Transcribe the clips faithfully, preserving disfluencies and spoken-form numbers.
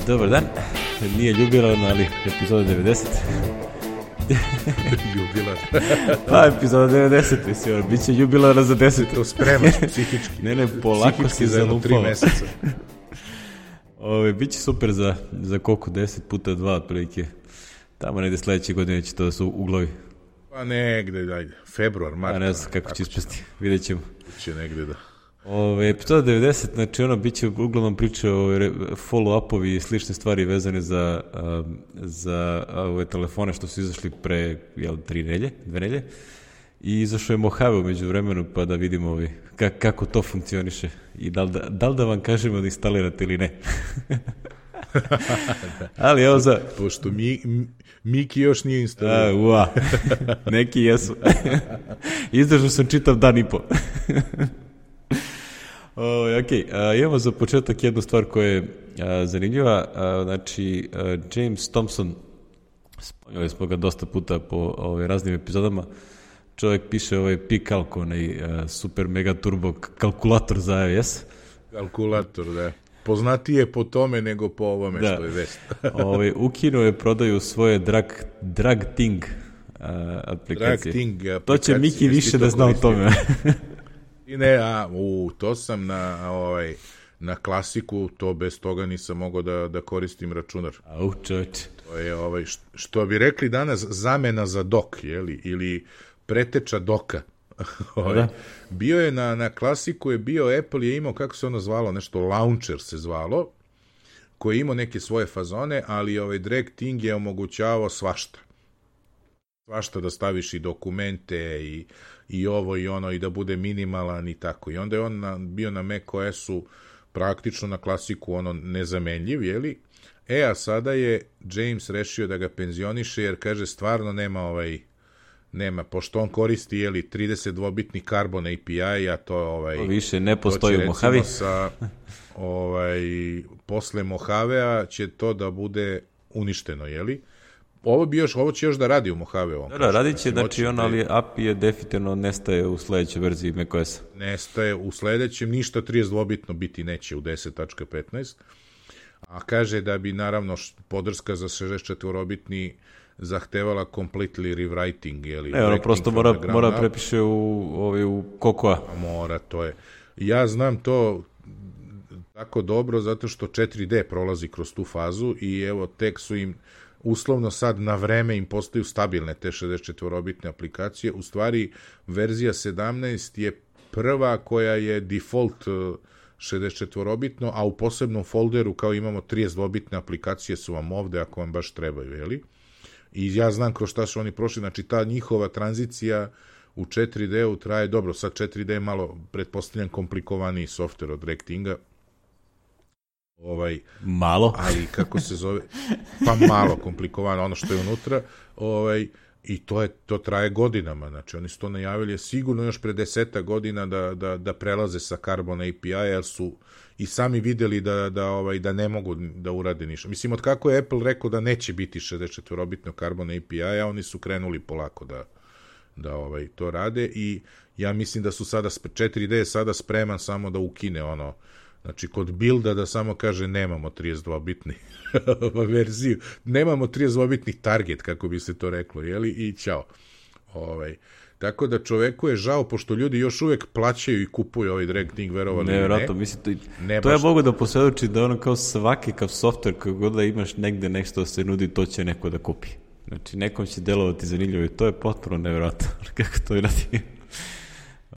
Dobar dan, nije jubilarno, ali epizoda devedeset. Jubilar. Pa, epizoda devedeset, mislim, bit će jubilarno za deset. To spremaš psihički. Ne, ne, polako si zalupao. Tri meseca. Ove, biće super za, za koliko, deset puta dva, otprilike. Tamo negde sledeće godine će to da su uglovi. Pa negde, ajde, februar, mart. A ne znam kako će ispasti, vidjet ćemo. Će negde da... Ove, epizoda devedeset, znači ono, bit će uglavnom priče o follow-upovi i slične stvari vezane za, um, za ove telefone što su izašli pre, jel, tri nelje, dve nelje. I izašao je Mojave umeđu vremenu, pa da vidimo ovi, ka, kako to funkcioniše i da li da, da, li da vam kažemo da instalirate ili ne. Ali evo za... Pošto mi, Miki još nije instalirao. A, ua, neki jesu. Izdržao sam čitav dan i po. O, ok, a, imamo za početak jednu stvar koja je a, zanimljiva. A, znači, a, James Thompson, spomenuli smo ga dosta puta po ove, raznim epizodama, čovjek piše ovaj P-Calc, onaj a, super mega turbo kalkulator za iOS. Kalkulator, da. Poznatije po tome nego po ovome da. Što je vest. Ove, ukinuo je prodaju svoje drag, drag Thing a, aplikacije. Drag Thing aplikacije. To će Miki više da zna o tome. I ne, a, u, to sam na, ovaj, na klasiku, to bez toga nisam mogao da, da koristim računar. Au, čovječe. To je, ovaj, što bi rekli danas, zamena za dok, jeli, ili preteča doka. ovaj, bio je na, na klasiku, je bio, Apple je imao, kako se ono zvalo, nešto Launcher se zvalo, koji je imao neke svoje fazone, ali ovaj Drag Thing je omogućavao svašta. Svašta da staviš i dokumente i, i ovo i ono i da bude minimalan i tako. I onda je on na, bio na macOS-u praktično na klasiku ono nezamenljiv, jeli? E, a sada je James rešio da ga penzioniše jer kaže stvarno nema ovaj, nema, pošto on koristi jeli trideset dvobitni Carbon A P I, a to ovaj... To više ne postoji u Mojavi. Sa, ovaj, posle Mojavea će to da bude uništeno, jeli? Ovo bi još, ovo će još da radi u Mojave ovom. Da, da, radit će, znači on, ali A P I je definitivno nestaje u sledećoj verziji macOS-a. Nestaje u sledećem, ništa trideset dvobitno biti neće u deset tačka petnaest, a kaže da bi naravno podrška za šezdeset četvorobitni zahtevala completely rewriting, jeli? Ne, ono prosto mora, mora prepiše u, ovaj, u Cocoa. Mora, to je. Ja znam to tako dobro zato što četiri D prolazi kroz tu fazu i evo tek su im uslovno sad na vreme im postaju stabilne te šezdeset četvorobitne aplikacije. U stvari, verzija sedamnaest je prva koja je default šezdeset četvorobitno, a u posebnom folderu kao imamo trideset dvobitne aplikacije su vam ovde ako vam baš trebaju, jeli? I ja znam kroz šta su oni prošli, znači ta njihova tranzicija u četiri D-u traje, dobro, sad četiri D je malo, pretpostavljam, komplikovaniji softver od Drag Thinga, ovaj malo, ali kako se zove, pa malo komplikovano ono što je unutra, ovaj i to je to traje godinama, znači oni su to najavili sigurno još pre deseta godina da, da, da prelaze sa Carbon A P I, jer su i sami videli da, da, ovaj, da ne mogu da urade ništa. Mislim, od kako je Apple rekao da neće biti šezdeset četvorobitno Carbon A P I, a oni su krenuli polako da, da ovaj, to rade i ja mislim da su sada, četiri D je sada spreman samo da ukine ono. Znači, kod builda da samo kaže nemamo trideset dvobitni verziju, nemamo trideset dvobitni target, kako bi se to reklo, jeli, i ćao. Ovaj. Tako da čoveku je žao, pošto ljudi još uvek plaćaju i kupuju ovaj Drag Thing, verovali ne, vjerojatno, ne. Mislim, to, ne to ja mogu da posvjedoči da ono kao svaki kao software, kako god da imaš negde nešto se nudi, to će neko da kupi. Znači, nekom će delovati zanimljivo i to je potpuno nevjerojatno, kako to i radi.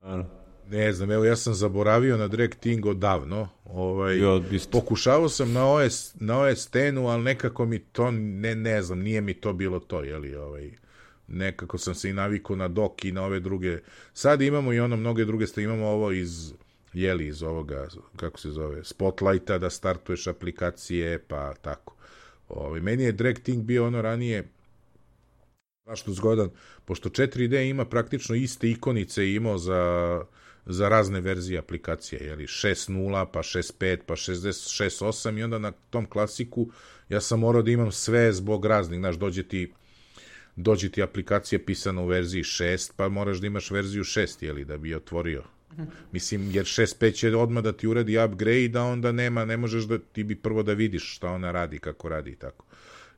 Ano. Ne znam, evo ja sam zaboravio na Drag Thing odavno, ovaj, ja, pokušavao sam na O S, na O S X-u, ali nekako mi to, ne, ne znam, nije mi to bilo to, jeli, ovaj, nekako sam se i navikao na dok i na ove druge, sad imamo i ono mnoge druge stvari, imamo ovo iz, jeli, iz ovoga, kako se zove, Spotlighta, da startuješ aplikacije, pa tako. Ovaj, meni je Drag Thing bio ono ranije, strašno zgodan, pošto četiri D ima praktično iste ikonice imao za, za razne verzije aplikacije, jeli, šest nula, pa šest pet, pa šest osam i onda na tom klasiku ja sam morao da imam sve zbog raznih, znaš, dođe ti, dođe ti aplikacija pisana u verziji šest, pa moraš da imaš verziju šest, jeli, da bi je otvorio. Mislim, jer šest pet će odmah da ti uradi upgrade, a onda nema, ne možeš da, ti bi prvo da vidiš šta ona radi, kako radi i tako.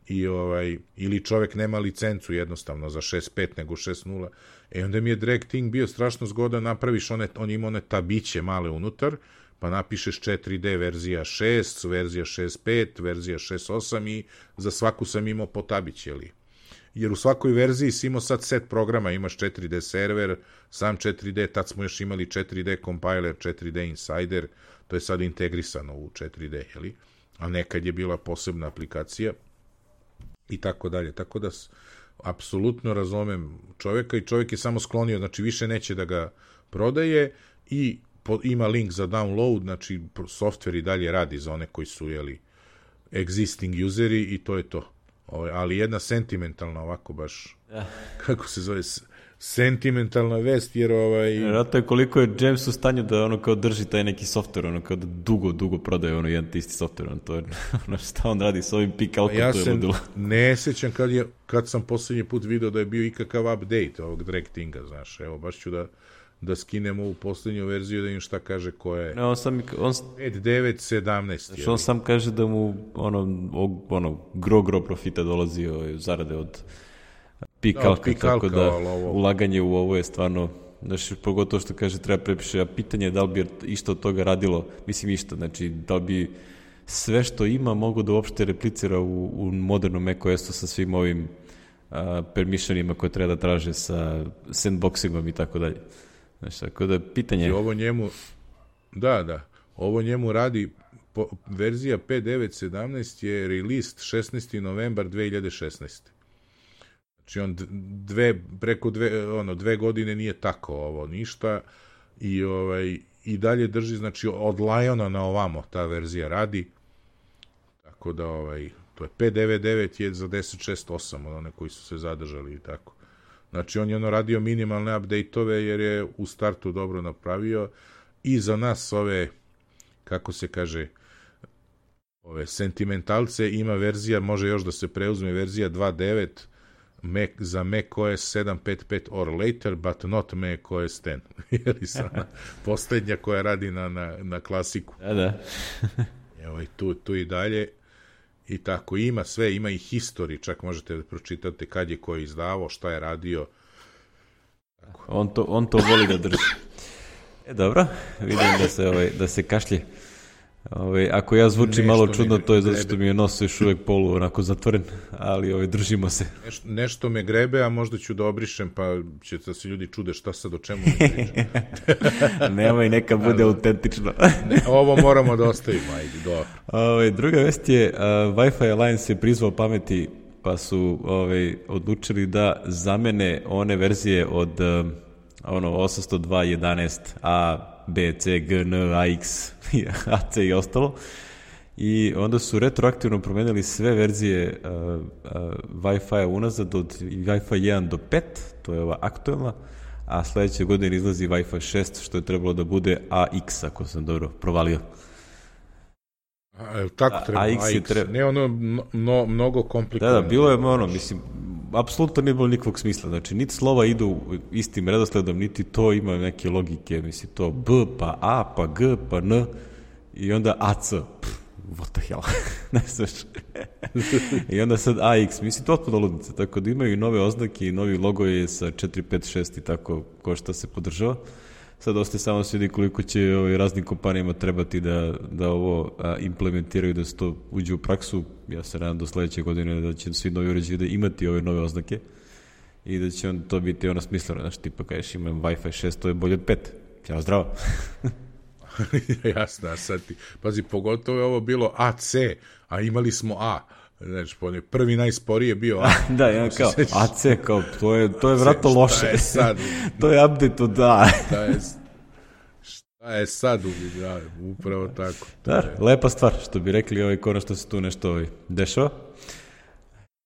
I ovaj, ili čovek nema licencu jednostavno za šest pet nego šest nula. E onda mi je Drag Thing bio strašno zgodan, napraviš one, on ima one tabiće male unutar, pa napišeš četiri D verzija šest, verzija šest pet, verzija šest osam i za svaku sam imao po tabić, jeli? Jer u svakoj verziji si imao sad set programa, imaš četiri D server, sam četiri D, tad smo još imali četiri D compiler, četiri D insider, to je sad integrisano u četiri D, jeli? A nekad je bila posebna aplikacija i tako dalje. Tako da apsolutno razumem čoveka i čovek je samo sklonio, znači više neće da ga prodaje i po, ima link za download, znači software i dalje radi za one koji su, jeli, existing useri i to je to. Ovo, ali jedna sentimentalna ovako baš, ja. Kako se zove, sentimentalna vest, jer ovaj... Vjerojatno je koliko je James u stanju da ono kao drži taj neki software, ono kao da dugo, dugo prodaje ono jedan isti software, ono to je, ono šta on radi s ovim pikalkom, ja to je ludilo. Ja se ne sećam kad, je, kad sam posljednji put video da je bio ikakav update ovog Drag Thinga, znaš, evo, baš ću da, da skinem ovu posljednju verziju da im šta kaže ko je... Ne, on sam... On... pet devet sedamnaest. Znači, on sam kaže da mu ono, ono gro, gro profita dolazi o, zarade od... Pikalka, pikalka, tako da ulaganje u ovo je stvarno, znači, pogotovo što kaže treba prepiše, a pitanje je da li bi išto od toga radilo, mislim išto, znači da li bi sve što ima mogu da uopšte replicira u, u modernom macOS-u sa svim ovim a, permissionima koje treba da traže sa sandboxingom i tako dalje. Znači, tako da pitanje je... Ovo njemu, da, da, ovo njemu radi, po, verzija pet devet sedamnaest je released šesnaesti novembar dve hiljade šesnaeste. Znači on dve, preko dve, ono, dve godine nije tako ovo ništa i, ovaj, i dalje drži, znači od Liona na ovamo ta verzija radi, tako da ovaj, to je pet devet devet je za deset šest osam, od one koji su se zadržali i tako. Znači on je ono radio minimalne update-ove jer je u startu dobro napravio i za nas ove, kako se kaže, ove sentimentalce ima verzija, može još da se preuzme verzija dva devet Mac, za macOS sedam pet pet or later, but not macOS deset. Jeli sana posljednja koja radi na, na, na klasiku. Da, da. Evo i tu, tu i dalje. I tako, ima sve, ima i history, čak možete da pročitate kad je ko izdavao, šta je radio. Tako. On, to, on to voli da drži. E, dobro, vidim da se, ovaj, da se kašlje. Ove, ako ja zvučim malo čudno, to je zato što mi je nos još uvek polu onako zatvoren, ali ove, držimo se. Nešto, nešto me grebe, a možda ću da obrišem, pa će da se ljudi čude šta sad o čemu ne pričam. Nemoj, neka bude autentično. Ne, ovo moramo da ostavimo, ajde, dobro. Ove, druga vest je, uh, Wi-Fi Alliance je prizvao pameti, pa su ove, odlučili da zamene one verzije od uh, ono, osamsto dva jedanaest A, B, C, G, N, A, X, A, C i ostalo. I onda su retroaktivno promenili sve verzije uh, uh, Wi-Fi unazad od Wi-Fi jedan do pet, to je ova aktuelna, a sledeće godine izlazi Wi-Fi šest, što je trebalo da bude A X, ako sam dobro provalio. A, tako treba, A X, A X. Treba... ne ono no, mnogo komplikovano. Da, da, bilo je ono, mislim, apsolutno nije bilo nikakvog smisla, znači niti slova idu istim redosledom, niti to ima neke logike, mislim, to B, pa A, pa G, pa N, i onda A C, pff, what the hell, ne znaš. I onda sad A X, mislim, to otpuno ludnica, tako da imaju i nove oznake i novi logo je sa četiri pet šest i tako ko šta se podržava. Sad ostaje samo se vidi koliko će ovaj, raznim kompanijama trebati da, da ovo a, implementiraju, da se to uđe u praksu. Ja se nadam do sledeće godine da će svi novi uređaji da imati ove nove oznake i da će on to biti ono smisleno. Znaš, tipa kažeš imam Wi-Fi šest, to je bolje od pet. Ćao, zdravo. Jasno, a sad ti, pazi, pogotovo je ovo bilo A C, a imali smo A. Znači, prvi najsporiji je bio A. Da, ja kao, A C, kao, to je, to je vratno loše. Šta je sad? To je update od A. Šta je, šta je sad? Da, upravo tako. Da, lepa stvar, što bi rekli, ovaj, konačno se tu nešto ovaj, dešava.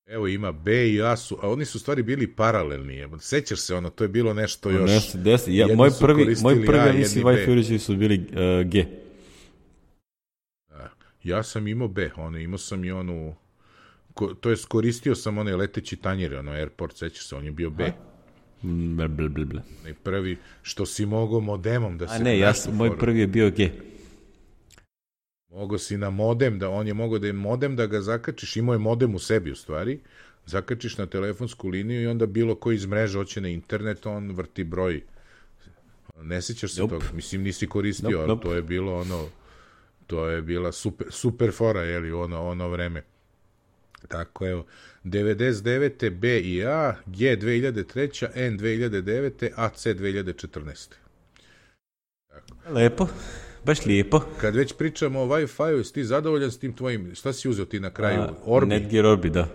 Evo ima B i A su, a oni su stvari bili paralelni. Sećaš se ono, to je bilo nešto još. Nešto, desi, ja, moj prvi, moj prvi, ja mislim, Wi-Fi uređaji su bili uh, G. Da, ja sam imao B, ono, imao sam i onu, ko, to jest koristio sam onaj leteći tanjir, ono, Airport, sećaš se, on je bio B. Bla, bla, bla, bla. I prvi što si mogao modemom da se... A ne, ja sam, moj prvi je bio G. Mogao si na modem, da on je mogao da je modem da ga zakačiš, imao je modem u sebi u stvari, zakačiš na telefonsku liniju i onda bilo ko iz mreže hoće na internet, on vrti broj. Ne sjećaš se nope. toga? Mislim, nisi koristio, nope, ali nope. to je bilo ono, to je bila super, super fora, jeli, ono, ono vreme. Tako, evo, devedeset devete B i A, G dve hiljade treće, N dve hiljade devete, A C dve hiljade četrnaeste. Tako. Lepo, baš lijepo. Kad već pričamo o Wi-Fi-u, jesi ti zadovoljan s tim tvojim, šta si uzeo ti na kraju? A, Orbi? Netgear Orbi, da.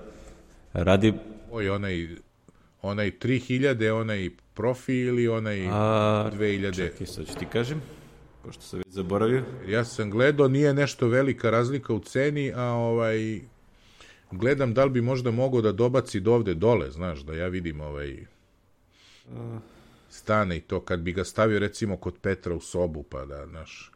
Radi... Oj, onaj, onaj tri hiljade, onaj profi ili onaj A, dve hiljade? Čekaj, sad ću ti kažem, pošto sam već zaboravio. Ja sam gledao, nije nešto velika razlika u ceni, a ovaj... Gledam da li bi možda mogao da dobaci do ovde dole, znaš, da ja vidim ovaj stane i to, kad bi ga stavio recimo kod Petra u sobu, pa da, znaš.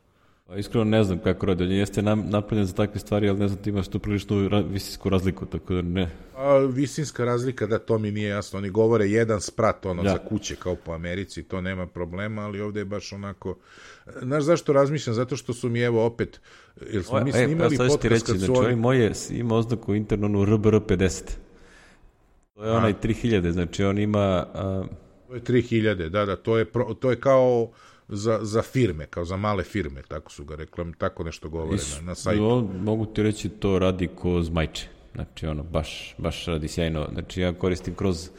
A iskreno ne znam kako radi, on jeste nam, napravljen za takve stvari, ali ne znam, ti imaš tu priličnu ra, visinsku razliku, tako da ne. A visinska razlika, da, to mi nije jasno, oni govore jedan sprat, ono, ja. za kuće, kao po Americi, to nema problema, ali ovde je baš onako, znaš zašto razmišljam, zato što su mi, evo, opet, jer smo o, mi snimali e, podcast ti reći, kad su znači, oni... moje ima oznaku internu R B R pedeset. To je a. onaj tri hiljade, znači on ima... A... To je tri hiljade, da, da, to je, pro, to je kao... Za, za firme, kao za male firme, tako su ga reklam, tako nešto govore Is, na, na sajtu. No, mogu ti reći, to radi ko zmajče. Znači, ono, baš, baš radi sjajno. Znači, ja koristim kroz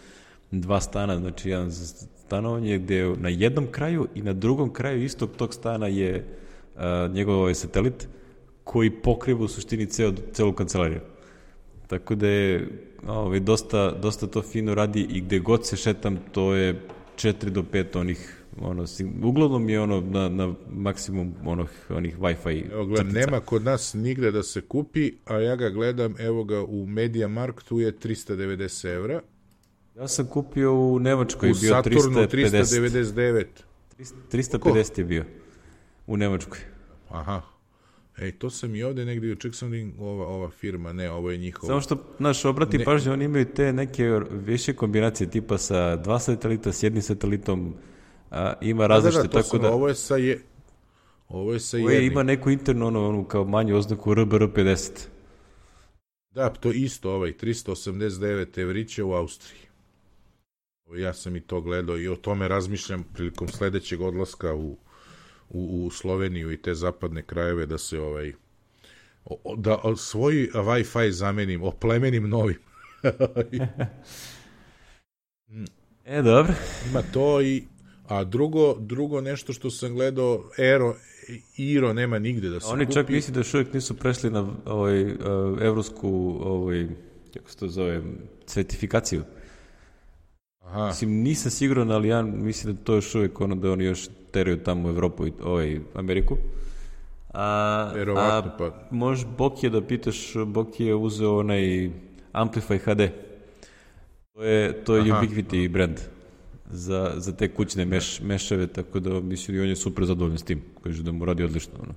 dva stana, znači, jedan za stanovanje gde na jednom kraju i na drugom kraju istog tog stana je a, njegov ovaj satelit koji pokriva u suštini ceo, celu kancelariju. Tako da je ovaj, dosta, dosta to fino radi i gde god se šetam, to je četiri do pet onih ono, uglavnom je ono na, na maksimum onih, onih Wi-Fi. Evo gledam, nema kod nas nigde da se kupi, a ja ga gledam, evo ga u MediaMarktu je trista devedeset evra. Ja sam kupio u Nemačkoj, u bio Saturnu trista pedeset. trista devedeset devet. trista pedeset je bio u Nemačkoj. Aha. Ej, to sam i ovde negdje, ček sam li ova, ova firma, ne, ovo je njihovo. Samo što, znaš, obrati ne. pažnje, oni imaju te neke više kombinacije, tipa sa dva satelita, s jednim satelitom, a, ima različite, da, da, tako sam, da... Ovo je sa, je, ovo je sa ovo jednim. Ima neku internu, ono, ono, kao manju oznaku R B R pedeset. Da, to isto, ovaj, trista osamdeset devet evrića u Austriji. Ja sam i to gledao i o tome razmišljam prilikom sledećeg odlaska u U, u Sloveniju i te zapadne krajeve da se ovaj o, da svoj Wi-Fi zamenim, oplemenim novim. E, dobro. Ima to i a drugo, drugo nešto što sam gledao, Aero, Iro nema nigde da se Oni kupi. čak misli da još uvijek nisu prešli na ovaj, uh, evropsku ovaj, kako se to zove, certifikaciju. Aha. Mislim, nisam siguran, ali ja mislim da to još uvijek ono da oni još teraju tamo u Evropu i ovaj, Ameriku. A, Verovatno, a pa. možeš Bokije da pitaš, Bokije je uzeo onaj Amplify H D. To je, to je Ubiquiti brand za, za te kućne meš, mešave, tako da mislim i on je super zadovoljan s tim. Kaže da mu radi odlično. Ono.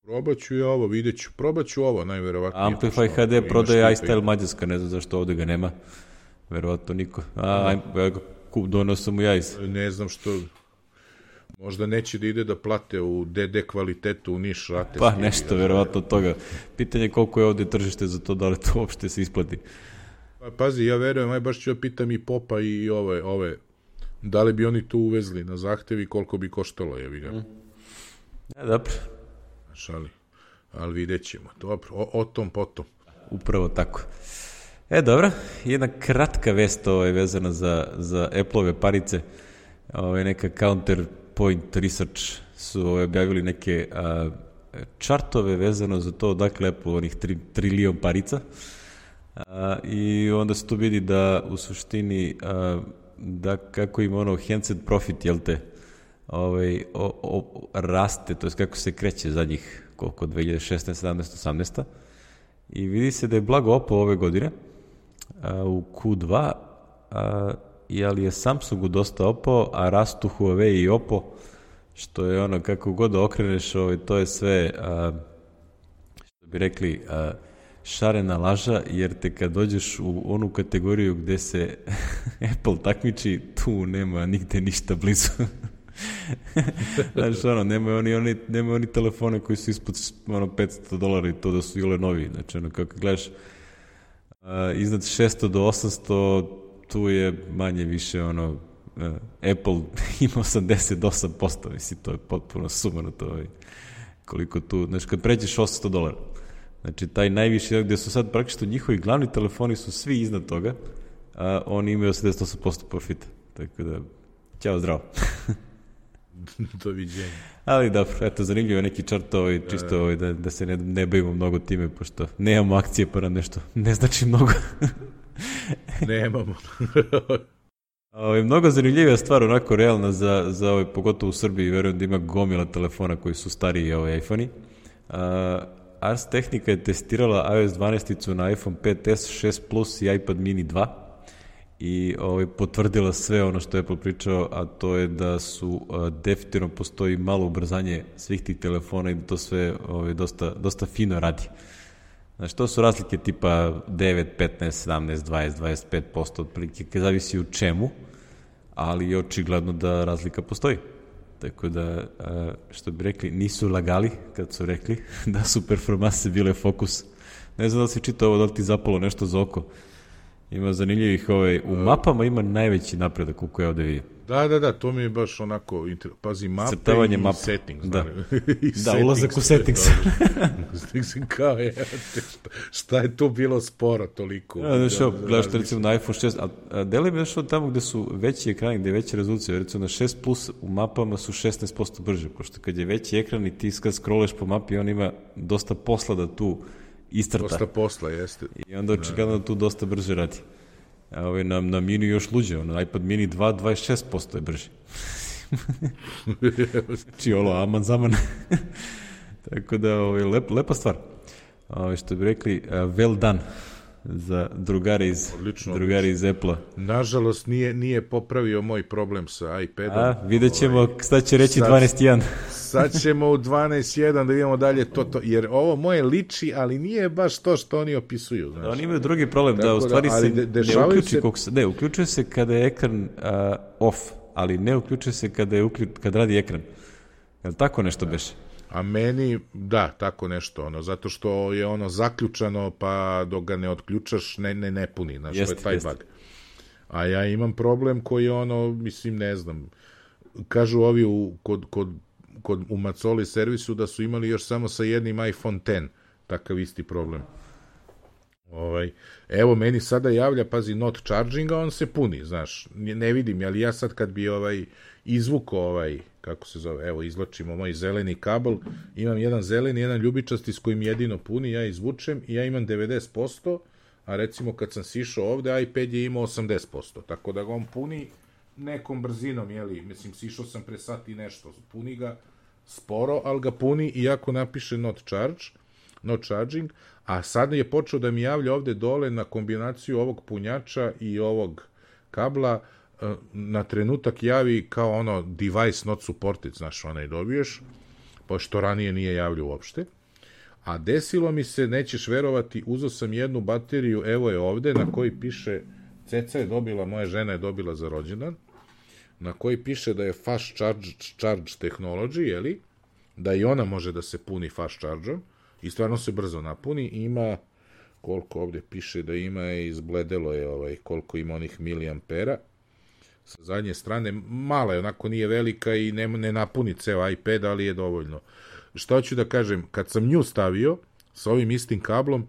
Probat ću i ovo, vidjet ću. Probat ću ovo, najverovatnije. Amplify H D prodaje iStyle Mađarska, ne znam zašto ovde ga nema. Verovatno niko. A, ja ga donosam mu ja iz. Ne znam što... Možda neće da ide da plate u D D kvalitetu u Niš rate. Pa nešto, verovatno od toga. Pitanje je koliko je ovde tržište za to, da li to uopšte se isplati. Pa, pazi, ja verujem, aj baš ću ja pitam i Popa i ove, ove, da li bi oni tu uvezli na zahtevi, koliko bi koštalo, jebi ga. Mm. Ja, dobro. Šali, ali vidjet ćemo. Dobro, o, o tom potom. Upravo tako. E, dobro, jedna kratka vest ovaj, vezana za, za Apple-ove parice. Ovaj, neka Counterpoint Research su ovaj, objavili neke a, čartove vezano za to, dakle, Apple onih tri, trilion parica. A, I onda se tu vidi da u suštini a, da kako im ono handset profit, jel te, ovaj, o, o, raste, to je kako se kreće zadnjih koliko, dve hiljade šesnaeste, sedamnaeste, osamnaeste. I vidi se da je blago opao ove godine a, u Q dva, a, ali je Samsungu dosta opao, a rastu Huawei i Oppo, što je ono, kako god da okreneš, ovaj, to je sve, a, što bi rekli, a, šarena laža, jer te kad dođeš u onu kategoriju gde se Apple takmiči, tu nema nigde ništa blizu. Znaš, ono, nemaju oni, oni, nemaju oni telefone koji su ispod ono, petsto dolara i to da su ile novi. Znači, ono, kako gledaš, uh, iznad šesto do osamsto, tu je manje više, ono, uh, Apple ima osamdeset osam posto, mislim, to je potpuno sumano to, koliko tu, znači, kad pređeš osamsto dolara. Znači, taj najviši, gde su sad praktično njihovi glavni telefoni su svi iznad toga, a oni imaju osamdeset osam posto profita. Tako da, ćao, zdravo. Doviđenja. Ali dobro, eto, zanimljivo je neki čart ovaj, čisto ovaj, da, da se ne, ne bavimo mnogo time, pošto nemamo akcije pa nam nešto ne znači mnogo. Nemamo. Ovaj, mnogo zanimljivija stvar, onako realna za, za ovaj, pogotovo u Srbiji, verujem da ima gomila telefona koji su stariji ovaj, iPhone-i. Uh, Ars Technica je testirala iOS dvanaest na iPhone pet es, šest plus i iPad mini dva i ovaj, potvrdila sve ono što je Apple pričao, a to je da su uh, definitivno postoji malo ubrzanje svih tih telefona i da to sve ovaj, dosta, dosta fino radi. Znači, to su razlike tipa devet, petnaest, sedamnaest, dvadeset, dvadeset pet posto otprilike, kad zavisi u čemu, ali je očigledno da razlika postoji. Tako da, što bi rekli, nisu lagali kad su rekli da su performanse bile fokus. Ne znam da li si čitao ovo, da li ti zapalo nešto za oko. Ima zanimljivih, ovaj, u mapama ima najveći napredak koliko je ovde vidio. Da, da, da, to mi je baš onako, pazi, mape crtavanje i mapa. Settings. Da, I da settings, ulazak u settings. Kao je, šta je tu bilo sporo toliko? Ja, znaš, da, gledaš te recimo na iPhone šest, a deli mi nešto tamo gde su veći ekrani, gde je veća rezolucija, recimo na šest plus u mapama su šesnaest posto brže, pošto kad je veći ekran i ti kad scrolleš po mapi, on ima dosta posla da tu istrta. Dosta posla, jeste. I onda očigledno da tu dosta brže radi. A ovaj, na, na mini još luđe, na iPad mini dva, dvadeset šest posto je brži. Znači, olo, aman zaman. Tako da, ovaj, lep, lepa stvar. Ovaj, što bi rekli, uh, well done za drugare iz, odlično, drugare iz Apple-a. Nažalost, nije, nije popravio moj problem sa iPadom. A, vidjet ćemo, ovaj, sad će reći sad, dvanaest jedan. Sad ćemo u dvanaest jedan da vidimo dalje to, to, jer ovo moje liči, ali nije baš to što oni opisuju. Znači. Oni imaju drugi problem, tako da u stvari da, se de, ne uključi, se... ne, uključuje se kada je ekran uh, off, ali ne uključuje se kada, je uključ, kada radi ekran. Je li tako nešto da. Beše? A meni, da, tako nešto, ono, zato što je ono zaključano, pa dok ga ne otključaš, ne, ne, ne puni, znači, jest, to je taj jest. Bug. A ja imam problem koji je ono, mislim, ne znam, kažu ovi u, kod, kod, kod, u Macoli servisu da su imali još samo sa jednim iPhone X, takav isti problem. Ovaj, evo, meni sada javlja, pazi, not charging, a on se puni, znaš, ne vidim, ali ja sad kad bi ovaj izvuko ovaj, kako se zove, evo, izvlačimo moj zeleni kabel, imam jedan zeleni, jedan ljubičasti s kojim jedino puni, ja izvučem i ja imam devedeset posto, a recimo kad sam sišao ovde, iPad je imao osamdeset posto, tako da ga on puni nekom brzinom, jeli, mislim, sišao sam pre sat i nešto, puni ga sporo, ali ga puni iako napiše not charge, not charging, a sad je počeo da mi javlja ovde dole na kombinaciju ovog punjača i ovog kabla, na trenutak javi kao ono device not supported, znaš, onaj dobiješ, pošto ranije nije javljao uopšte. A desilo mi se, nećeš verovati, uzeo sam jednu bateriju, evo je ovde, na koji piše, Ceca je dobila, moja žena je dobila za rođendan, na koji piše da je fast charge, charge technology, jeli, da i ona može da se puni fast charge-om, i stvarno se brzo napuni, ima, koliko ovde piše da ima, izbledelo je ovaj, koliko ima onih miliampera, sa zadnje strane, mala je, onako nije velika i ne, ne napuni ceo iPad, ali je dovoljno. Šta hoću da kažem, kad sam nju stavio, sa ovim istim kablom,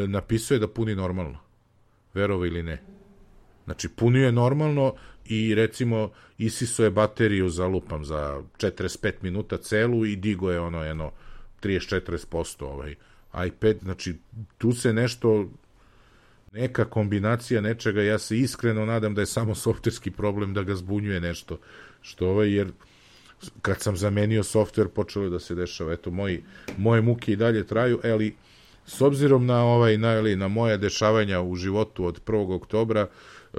napisuje da puni normalno. Verovo ili ne. Znači, punio je normalno i recimo isiso je bateriju za lupam za četrdeset pet minuta celu i digo je ono jedno trideset do četrdeset posto ovaj iPad, znači tu se nešto, neka kombinacija nečega, ja se iskreno nadam da je samo softverski problem da ga zbunjuje nešto, što ovaj, jer kad sam zamenio softver počelo je da se dešava, eto, moji, moje muke i dalje traju, ali s obzirom na ovaj, na, ali, na moje dešavanja u životu od prvog oktobra, e,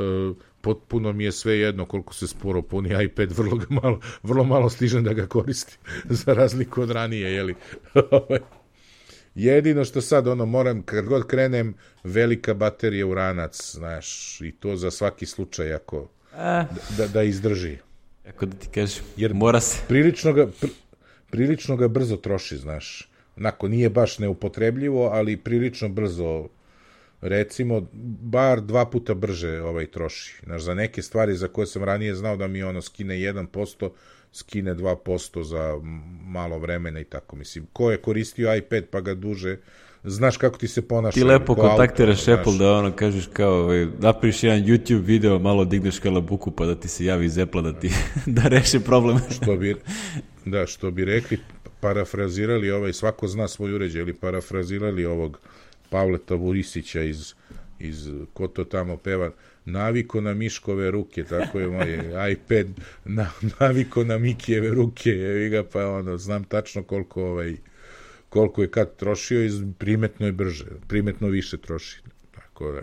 potpuno mi je sve jedno koliko se sporo puni iPad, vrlo, malo, vrlo malo stižem da ga koristim, za razliku od ranije, jeli. jedino što sad, ono, moram, kad god krenem, velika baterija u ranac, znaš, i to za svaki slučaj, ako, A, da, da izdrži. ako da ti kažem, Jer mora se. Prilično ga, pr, prilično ga brzo troši, znaš. Onako, nije baš neupotrebljivo, ali prilično brzo, recimo, bar dva puta brže ovaj troši. Znaš, za neke stvari za koje sam ranije znao da mi ono skine jedan posto, skine dva posto za malo vremena i tako. Mislim, ko je koristio iPad pa ga duže, znaš kako ti se ponaša. Ti lepo ko kontaktiraš auto, Apple znaš. da ono kažeš kao, ovaj, napriš jedan YouTube video, malo digneš kalabuku pa da ti se javi iz Apple da ti da reši problem. Što bi, da, što bi rekli, parafrazirali ovaj, svako zna svoj uređaj, ili parafrazirali ovog Pavleta Vurisića iz, iz ko to tamo peva, naviko na Miškove ruke, tako je moj iPad, na, naviko na Mikijeve ruke, evi ga, pa ono, znam tačno koliko ovaj, koliko je kad trošio i primetno je brže, primetno više troši. Tako da,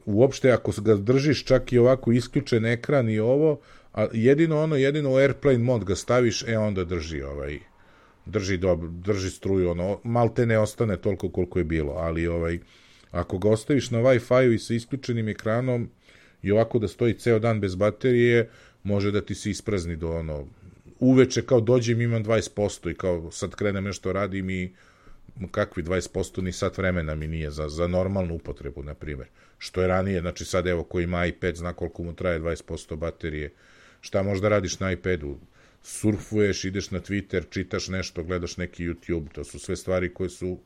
uopšte ako ga držiš čak i ovako isključen ekran i ovo, a jedino ono, jedino u Airplane mod ga staviš, e onda drži ovaj, drži dobro, drži struju, ono, malte ne ostane toliko koliko je bilo, ali ovaj, ako ga ostaviš na Wi-Fi-u i sa isključenim ekranom i ovako da stoji ceo dan bez baterije, može da ti se isprazni do ono, uveče kao dođem imam dvadeset posto i kao sad krenem nešto radim i kakvi dvadeset posto ni sat vremena mi nije za, za normalnu upotrebu, na primjer. Što je ranije, znači sad evo ko ima iPad zna koliko mu traje dvadeset posto baterije. Šta možda radiš na iPadu? Surfuješ, ideš na Twitter, čitaš nešto, gledaš neki YouTube, to su sve stvari koje su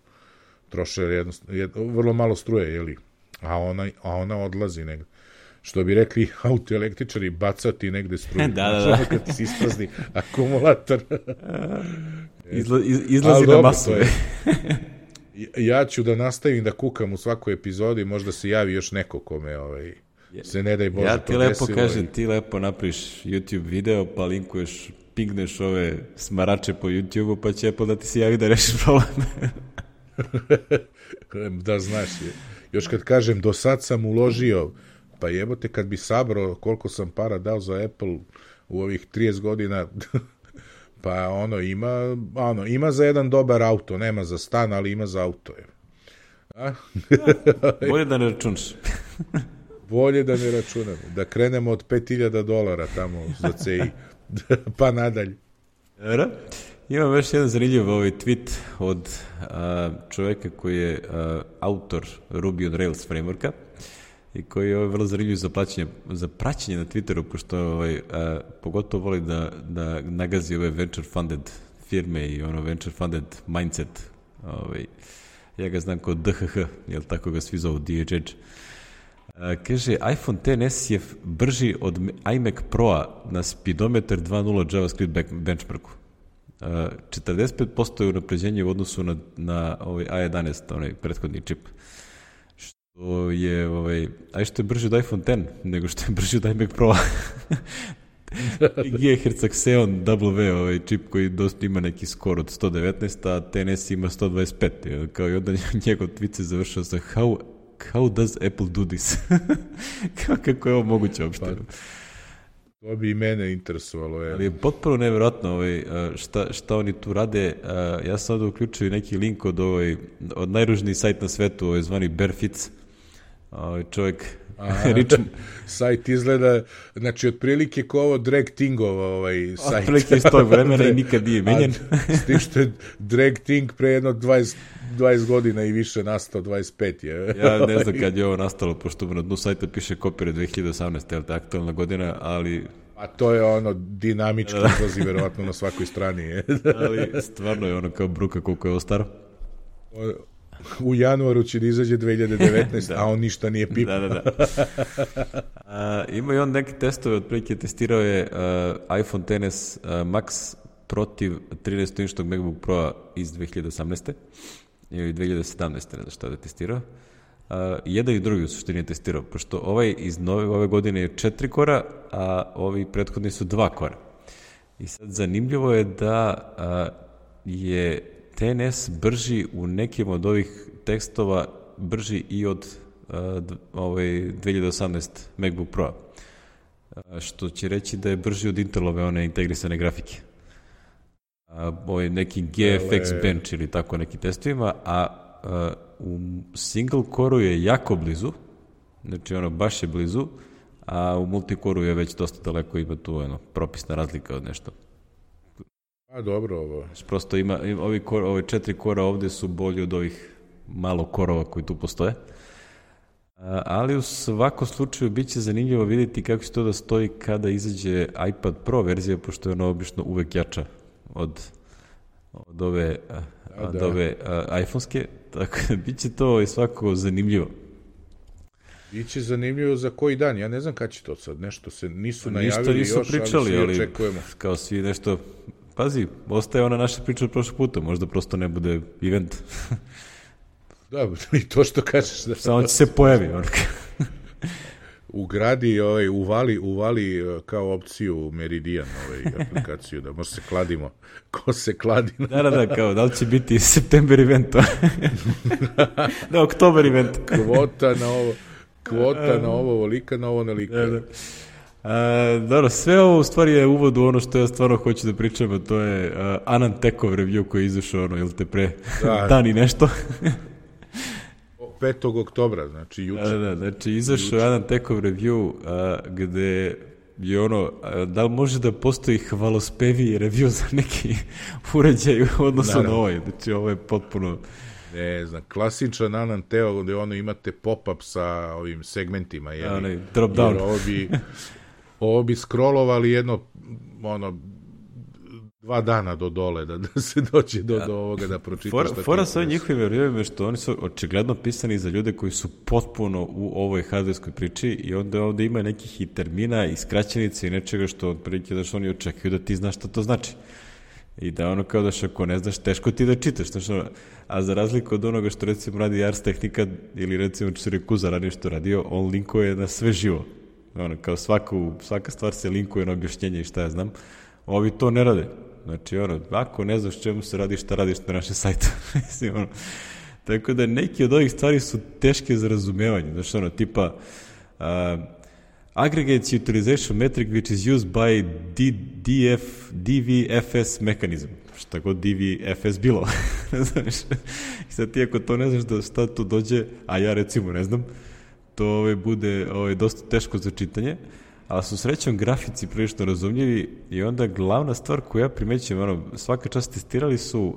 troše jedno, jed, vrlo malo struje, jeli? A ona, a ona odlazi negde. Što bi rekli autoelektričari, bacati negde struju. Da, da, da. Kad ti se isprazni akumulator. Izla, iz, izlazi na masove. Ja ću da nastavim da kukam u svakoj epizodi, možda se javi još neko kome ovaj, se ne daj Bože ja ti podesilo. lepo kažem, ti lepo napriš YouTube video, pa linkuješ, pingneš ove smarače po YouTube-u, pa će Apple da ti se javi da rešiš problem. Da znaš, je. Još kad kažem, do sad sam uložio, pa jebote, kad bi sabrao koliko sam para dao za Apple u ovih trideset godina, pa ono, ima, ono, ima za jedan dobar auto, nema za stan, ali ima za auto. Je. A? Bolje da ne računaš. Bolje da ne računamo. Da krenemo od pet hiljada dolara tamo za C I. Pa nadalje. Dobro. Imam još jedan zanimljiv ovaj tweet od a, čoveka koji je a, autor Ruby on Rails frameworka i koji je ovaj, vrlo zanimljiv za, plaćanje, za praćenje na Twitteru, pošto ovaj, a, pogotovo voli da, da nagazi ove venture funded firme i ono venture funded mindset. Ovaj, ja ga znam kao D H H, jel tako ga svi zovu, D H H. A, kaže, iPhone X S je brži od iMac Pro-a na speedometer dva nula JavaScript benchmarku. Uh, četrdeset pet posto je unapređenje u odnosu na, na ovaj A jedanaest, onaj prethodni čip. Što je, ovaj, aj što je brži od iPhone X, nego što je brži od iMac Pro. Gigahertz Xeon W, ovaj čip koji dosta ima neki skor od sto devetnaest, a X N S ima sto dvadeset pet. Kao i onda njegov tweet se završao sa how, how does Apple do this? Kako je ovo moguće uopšte? Pa. To bi i mene interesovalo. Je. Ali je potpuno nevjerojatno ovaj, šta, šta oni tu rade. Ja sam ovdje uključio neki link od, ovaj, od najružniji sajt na svetu, ovaj, zvani Barefits. Ovaj, čovjek... Rich... sajt izgleda, znači otprilike ko ovo Drag Thingova ovaj sajt. Otprilike iz tog vremena i nikad nije menjan. S tim što je Drag Thing pre jedno dvadeset, dvadeset godina i više nastao, dvadeset pet je. Ja ne znam kad je ovo nastalo, pošto na dnu sajta piše copyright dve hiljade osamnaeste, je li to aktualna godina, ali... A to je ono dinamički izlazi verovatno na svakoj strani. Je. Ali stvarno je ono kao bruka koliko je ovo staro. U januaru će da izađe dve hiljade devetnaeste, da. A on ništa nije pipao. Da, da, da. A, ima i on neke testove, otprilike testirao je uh, iPhone X S uh, Max protiv trinaest-inčnog MacBook Pro iz dve hiljade osamnaeste ili dve hiljade sedamnaeste, ne znam šta da je testirao. Uh, jedan i drugi u suštini je testirao, pošto ovaj iz nove, ove godine je četiri kora, a ovi prethodni su dva kora. I sad zanimljivo je da uh, je X N S brži u nekim od ovih tekstova, brži i od uh, ovaj dve hiljade osamnaeste MacBook Pro, uh, što će reći da je brži od Intelove one integrisane grafike. a, ovaj neki G F X Ale... bench ili tako neki testovima, a, a u single core-u je jako blizu, znači ono baš je blizu, a u multicore-u je već dosta daleko, ima tu ono, propisna razlika od nešto. A dobro ovo. Znači, prosto ima, ima ovi kor, ove četiri kora ovde su bolji od ovih malo korova koji tu postoje. A, ali u svakom slučaju bit će zanimljivo vidjeti kako će to da stoji kada izađe iPad Pro verzija, pošto je ono obično uvek jača od, od ove, od da. ove a, iPhone-ske, tako da bit će to i svako zanimljivo. Biće zanimljivo za koji dan, ja ne znam kada će to sad, nešto se nisu najavili ništa još, pričali, ali svi očekujemo. Ali kao svi nešto, pazi, ostaje ona naša priča od prošlog puta, možda prosto ne bude event. Da, i to što kažeš. Da... Samo će se pojavi. Ugradi, ovaj, uvali, uvali kao opciju Meridian, ovaj, aplikaciju, da možda se kladimo. Ko se kladi? Da, da, da, kao, da li će biti september event? Da, oktober event. Kvota na ovo, kvota na ovo, volika na ovo, nalika. Da, da. A, dobro, sve ovo u stvari je uvod u ono što ja stvarno hoću da pričam, a to je uh, Anantekov review koji je izašao, ono, ili te pre da. dan i nešto. petog oktobra, znači juče. Da, da, znači izašao Anantekov review a, gde je ono, a, da li može da postoji hvalospeviji review za neki uređaj u odnosu Naravno. na ovaj, znači ovo je potpuno... Ne znam, klasičan Ananteo gde ono imate pop-up sa ovim segmentima, jel? Onaj, drop down. Jer ovo bi, ovo bi scrollovali jedno, ono, dva dana do dole, da, da se dođe do, do ovoga da pročitaš. Fora, fora sa ovim njihovim reviewima je što oni su očigledno pisani za ljude koji su potpuno u ovoj hardverskoj priči i onda ovde ima nekih i termina i skraćenica i nečega što otprilike da što oni očekuju da ti znaš šta to znači. I da ono kao da što ako ne znaš, teško ti da čitaš. Znači, a za razliku od onoga što recimo radi Ars Technica ili recimo Čirekuza radi što radio, on linkuje na sve živo. Ono, kao svaku, svaka stvar se linkuje na objašnjenje i šta ja znam. Ovi to ne rade. Znači, ono, ako ne znaš čemu se radi, šta radiš na našem sajtu. Mislim, ono, tako da neki od ovih stvari su teške za razumevanje. Znači, ono, tipa uh, aggregates utilization metric which is used by D, DF, D V F S mechanism. Šta god D V F S bilo. Znaš, i sad ti ako to ne znaš da šta tu dođe, a ja recimo ne znam, to ove, bude ove, dosta teško za čitanje. Ali su srećom grafici prilično razumljivi i onda glavna stvar koju ja primećujem, ono, svaka čast testirali su uh,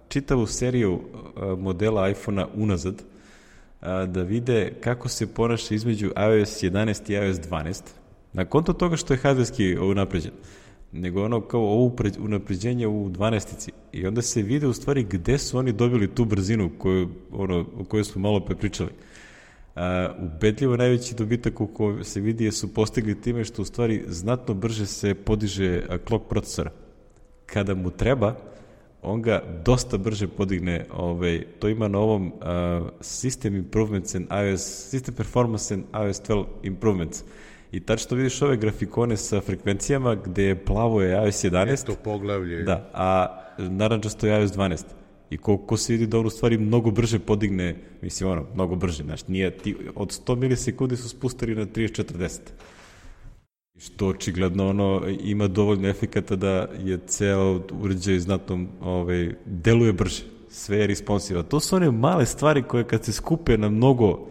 čitavu seriju uh, modela iPhone-a unazad uh, da vide kako se ponaša između iOS jedanaest i iOS dvanaest. Na konto toga što je hardverski unapređen, nego ono kao ovo unapređenje u dvanaestici. I onda se vide u stvari gde su oni dobili tu brzinu koju, ono, o kojoj smo malo prepričali. Uh, ubedljivo najveći dobitak u kojoj se vidi su postigli time što u stvari znatno brže se podiže clock procesora. Kada mu treba, on ga dosta brže podigne, ovaj, to ima na ovom uh, System Improvements and iOS, System Performance and iOS dvanaest Improvements. I tačno vidiš ove grafikone sa frekvencijama gde je plavo je iOS jedanaest. Eto poglavlje. Da, a narančasto je iOS dvanaest. I koliko se vidi da on u stvari mnogo brže podigne, mislim ono, mnogo brže, znači nije, ti, od sto milisekundi su spustili na trideset četrdeset. Što očigledno ono ima dovoljno efekata da je ceo uređaj znatno ovaj, deluje brže, sve je responsiva. To su one male stvari koje kad se skupe na mnogo,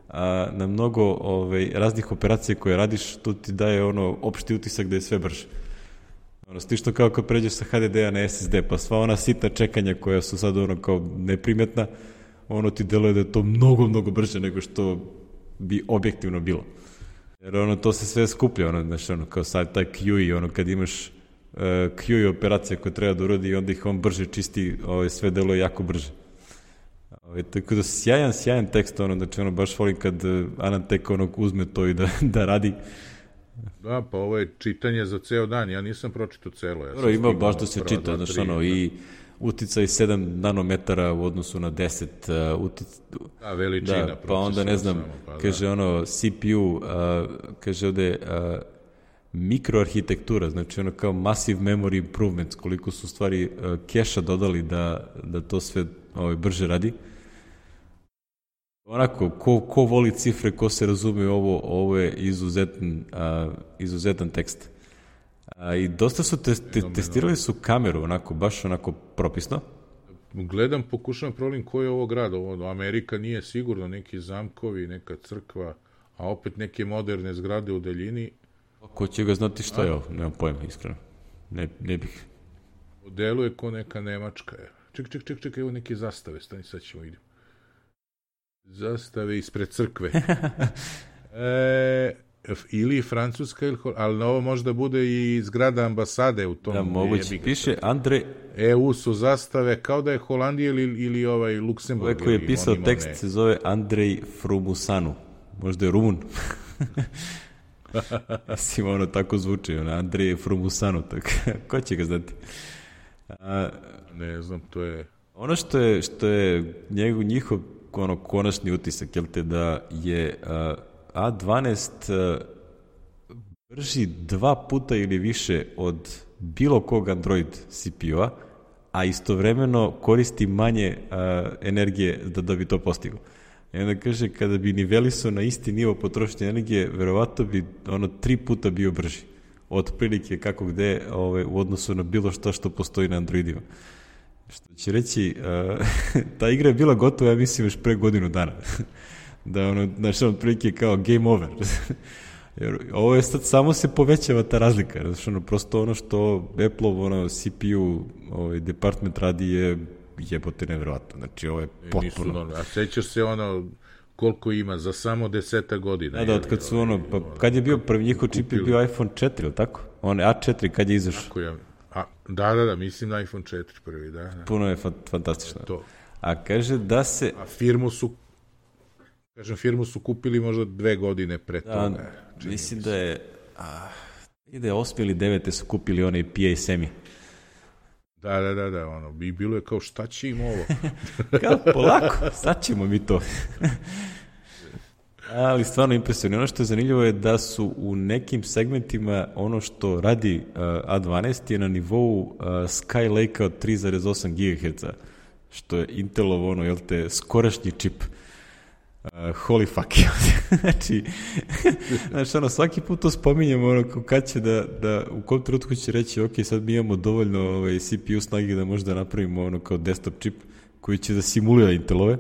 a, na mnogo ovaj, raznih operacija koje radiš, to ti daje ono opšti utisak da je sve brže. Ono, ti što kao kad pređeš sa H D D-a na S S D, pa sva ona sitna čekanja koja su sad ono kao neprimetna, ono ti deluje da je to mnogo, mnogo brže nego što bi objektivno bilo. Jer ono, to se sve skuplja, ono, znači, ono, kao sad taj Q I, ono, kad imaš uh, Q I operacija koja treba da uradi i onda ih on brže čisti, ovaj, sve deluje jako brže. Ovaj, tako da sjajan, sjajan tekst, ono, znači, ono, baš volim kad uh, Anantek, ono, uzme to i da, da radi. Da, pa ovo je čitanje za ceo dan, ja nisam pročitao celo. Ja Dobro, ima baš da se čita, znači ono, i uticaj sedam nanometara u odnosu na deset. Uh, utic... Da, veličina. Da, pa onda ne znam, samo, pa, kaže da. ono, C P U, uh, kaže ovde uh, mikroarhitektura, znači ono kao massive memory improvements, koliko su stvari uh, keša dodali da, da to sve ovaj, brže radi. Onako, ko, ko voli cifre, ko se razume ovo, ovo je izuzetan, uh, izuzetan tekst. Uh, A, I dosta su te, te, testirali su kameru, onako, baš onako propisno. Gledam, pokušavam problem koji je ovo grad. Ovo, Amerika nije sigurno, neki zamkovi, neka crkva, a opet neke moderne zgrade u daljini. Ko će ga znati što je ovo? Nemam pojma, iskreno. Ne, ne bih. Deluje ko neka Nemačka. Ček, ček, ček, ček, evo neke zastave, stani, sad ćemo idem. Zastave ispred crkve. e, ili Francuska, ili, ali ovo možda bude i zgrada ambasade u tom. Da, moguće. Piše Andrej... E U su zastave kao da je Holandija ili, ili ovaj Luksemburg. Ovaj koji je pisao tekst ne. Se zove Andrej Frumusanu. Možda je Rumun. Mislim, ono tako zvuči. Ono, Andrej Frumusanu. Tako. Ko će ga znati? A, ne znam, to je... Ono što je, što je njegov, njihov ono, konačni utisak, jel te, da je a, A dvanaest a, brži dva puta ili više od bilo kog Android C P U-a, a istovremeno koristi manje a, energije da, da bi to postiglo. I onda kaže, kada bi nivelisao na isti nivo potrošnje energije, verovatno bi ono tri puta bio brži. Od prilike kako gde ove, u odnosu na bilo što što postoji na Androidima. Što će reći, uh, ta igra je bila gotova, ja mislim, još pre godinu dana. Da ono, znači, od prilike kao game over. Jer ovo je sad, samo se povećava ta razlika. Znači, ono, prosto ono što Apple-ov ono, C P U ovaj, department radi je jebote nevjerovatno. Znači, ovo je potpuno... Nisu, a sećaš se ono... koliko ima za samo deseta godina. Da, da, od kad su ono, pa kad je bio prvi njihov čip je bio iPhone četiri, ili tako? On A četiri kad je izašao. Tako je. A, da, da, da, mislim na iPhone četiri prvi, da. da. Puno je fa- fantastično. To. A kaže da se... A firmu su, kažem, firmu su kupili možda dve godine pre da, toga. Mislim da je, a, ide osmi ili devete su kupili onaj P A Semi. Da, da, da, da, ono, bi bilo je kao šta će im ovo? Kao, polako, sad ćemo mi to. Ali stvarno impresivno. Ono što je zanimljivo je da su u nekim segmentima ono što radi uh, A dvanaest je na nivou uh, Skylake-a od tri zarez osam gigaherca, što je Intelov ono, jel te, skorašnji čip. Uh, holy fuck. Znači, znači, ono, svaki put to spominjamo, ono, kad će da, da, u kom trenutku će reći, ok, sad mi imamo dovoljno ovaj, C P U snage da možda napravimo ono kao desktop čip koji će da simulira Intelove.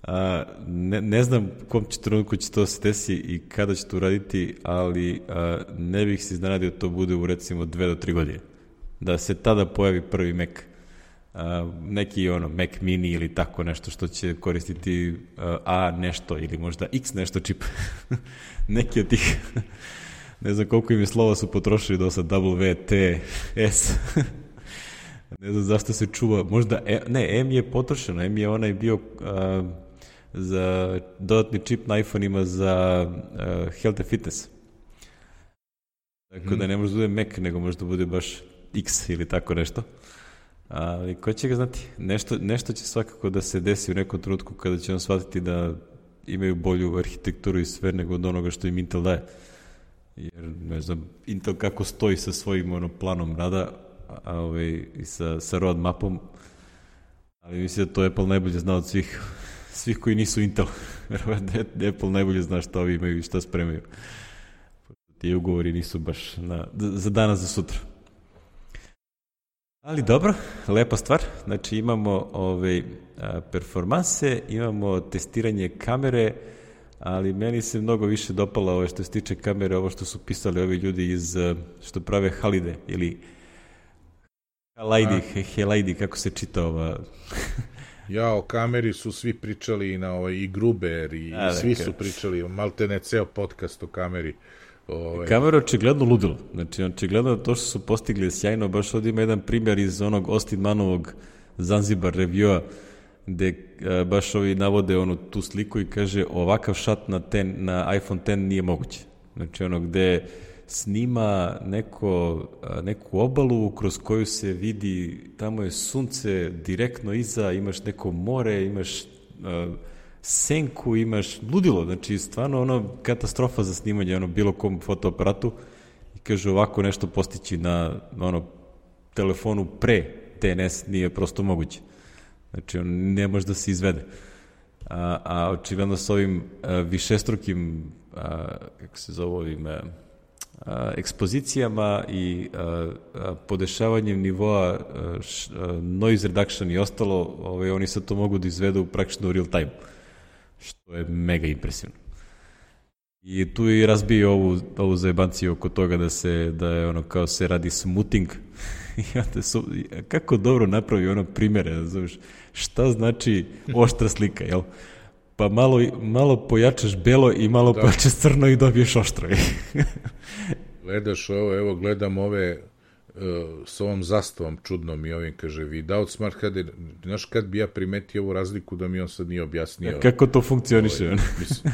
A, ne, ne znam u kom će trenutku će to se desi i kada će to uraditi, ali a, ne bih se iznenadio to bude u recimo dve do tri godine. Da se tada pojavi prvi Mac. A, neki ono Mac mini ili tako nešto što će koristiti a, A nešto ili možda X nešto čip. Neki od tih. Ne znam koliko im je slova su potrošili do sad W, T, S. Ne znam zašto se čuva. Možda, e, ne, M je potrošeno. M je onaj bio a, za dodatni čip na iPhone-ima za uh, health and fitness. Tako mm. da ne može da bude Mac, nego može da bude baš X ili tako nešto. Ali ko će ga znati? Nešto, nešto će svakako da se desi u nekom trenutku kada će on shvatiti da imaju bolju arhitekturu i sve nego od onoga što im Intel daje. Jer, ne znam, Intel kako stoji sa svojim ono, planom rada a, ovaj, i sa, sa roadmapom, ali mislim da to Apple najbolje zna od svih svih koji nisu Intel. Apple najbolje zna šta ovi imaju i šta spremaju. Ti ugovori nisu baš na, za danas, za sutra. Ali dobro, lepa stvar. Znači imamo ove, a, performanse, imamo testiranje kamere, ali meni se mnogo više dopala ovo što se tiče kamere, ovo što su pisali ovi ljudi iz, što prave Halide, ili Halide, Halide, kako se čita ova... Ja, o kameri su svi pričali na ovaj, i Gruber i, A, i svi dakle. su pričali, maltene ceo podcast o kameri. Ovaj. Kamera je očigledno ludilo. Znači, očigledno to što su postigli sjajno, baš ovdje ima jedan primjer iz onog Austin Manovog Zanzibar reviewa, gde a, baš ovi navode onu tu sliku i kaže ovakav šat na, ten, na iPhone X nije moguće. Znači, ono gde snima neko, neku obalu kroz koju se vidi, tamo je sunce direktno iza, imaš neko more, imaš uh, senku, imaš ludilo, znači stvarno ono katastrofa za snimanje ono bilo kom fotoaparatu i kaže ovako nešto postići na ono telefonu pre T N S nije prosto moguće. Znači on ne može da se izvede. A, a očigledno s ovim a, višestrukim a, kako se zove ovim a, a, ekspozicijama i a, a, podešavanjem nivoa a, š, a, noise reduction i ostalo, ovaj, oni sad to mogu da izvedu praktično u real time, što je mega impresivno. I tu i razbio ovu, ovu zajebanciju oko toga da se, da je ono kao se radi smoothing. I onda su, kako dobro napravi ono primjere, znaš, šta znači oštra slika, jel? Pa malo, malo pojačaš belo i malo da. Pojačaš crno i dobiješ oštro. Gledaš ovo, evo gledam ove uh, s ovom zastavom čudnom i ovim, kaže, without smart H D, znaš kad bi ja primetio ovu razliku da mi on sad nije objasnio. A kako to funkcioniše? Ovaj, mislim,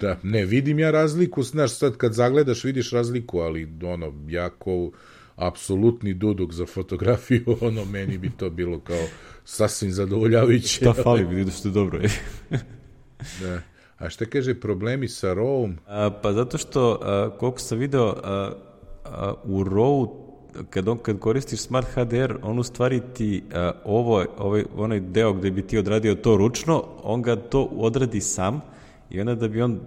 da, ne, vidim ja razliku, znaš, sad kad zagledaš vidiš razliku, ali ono, jako apsolutni duduk za fotografiju, ono, meni bi to bilo kao sasvim zadovoljavajuće. Šta fali, vidiš što je dobro, je. Da. A šta kaže problemi sa RAW-om? Pa zato što, a, koliko sam video, a, a, u RAW, kad, on, kad koristiš Smart H D R, on u stvari ti a, ovo, ovaj, onaj deo gde bi ti odradio to ručno, on ga to odradi sam i onda da bi on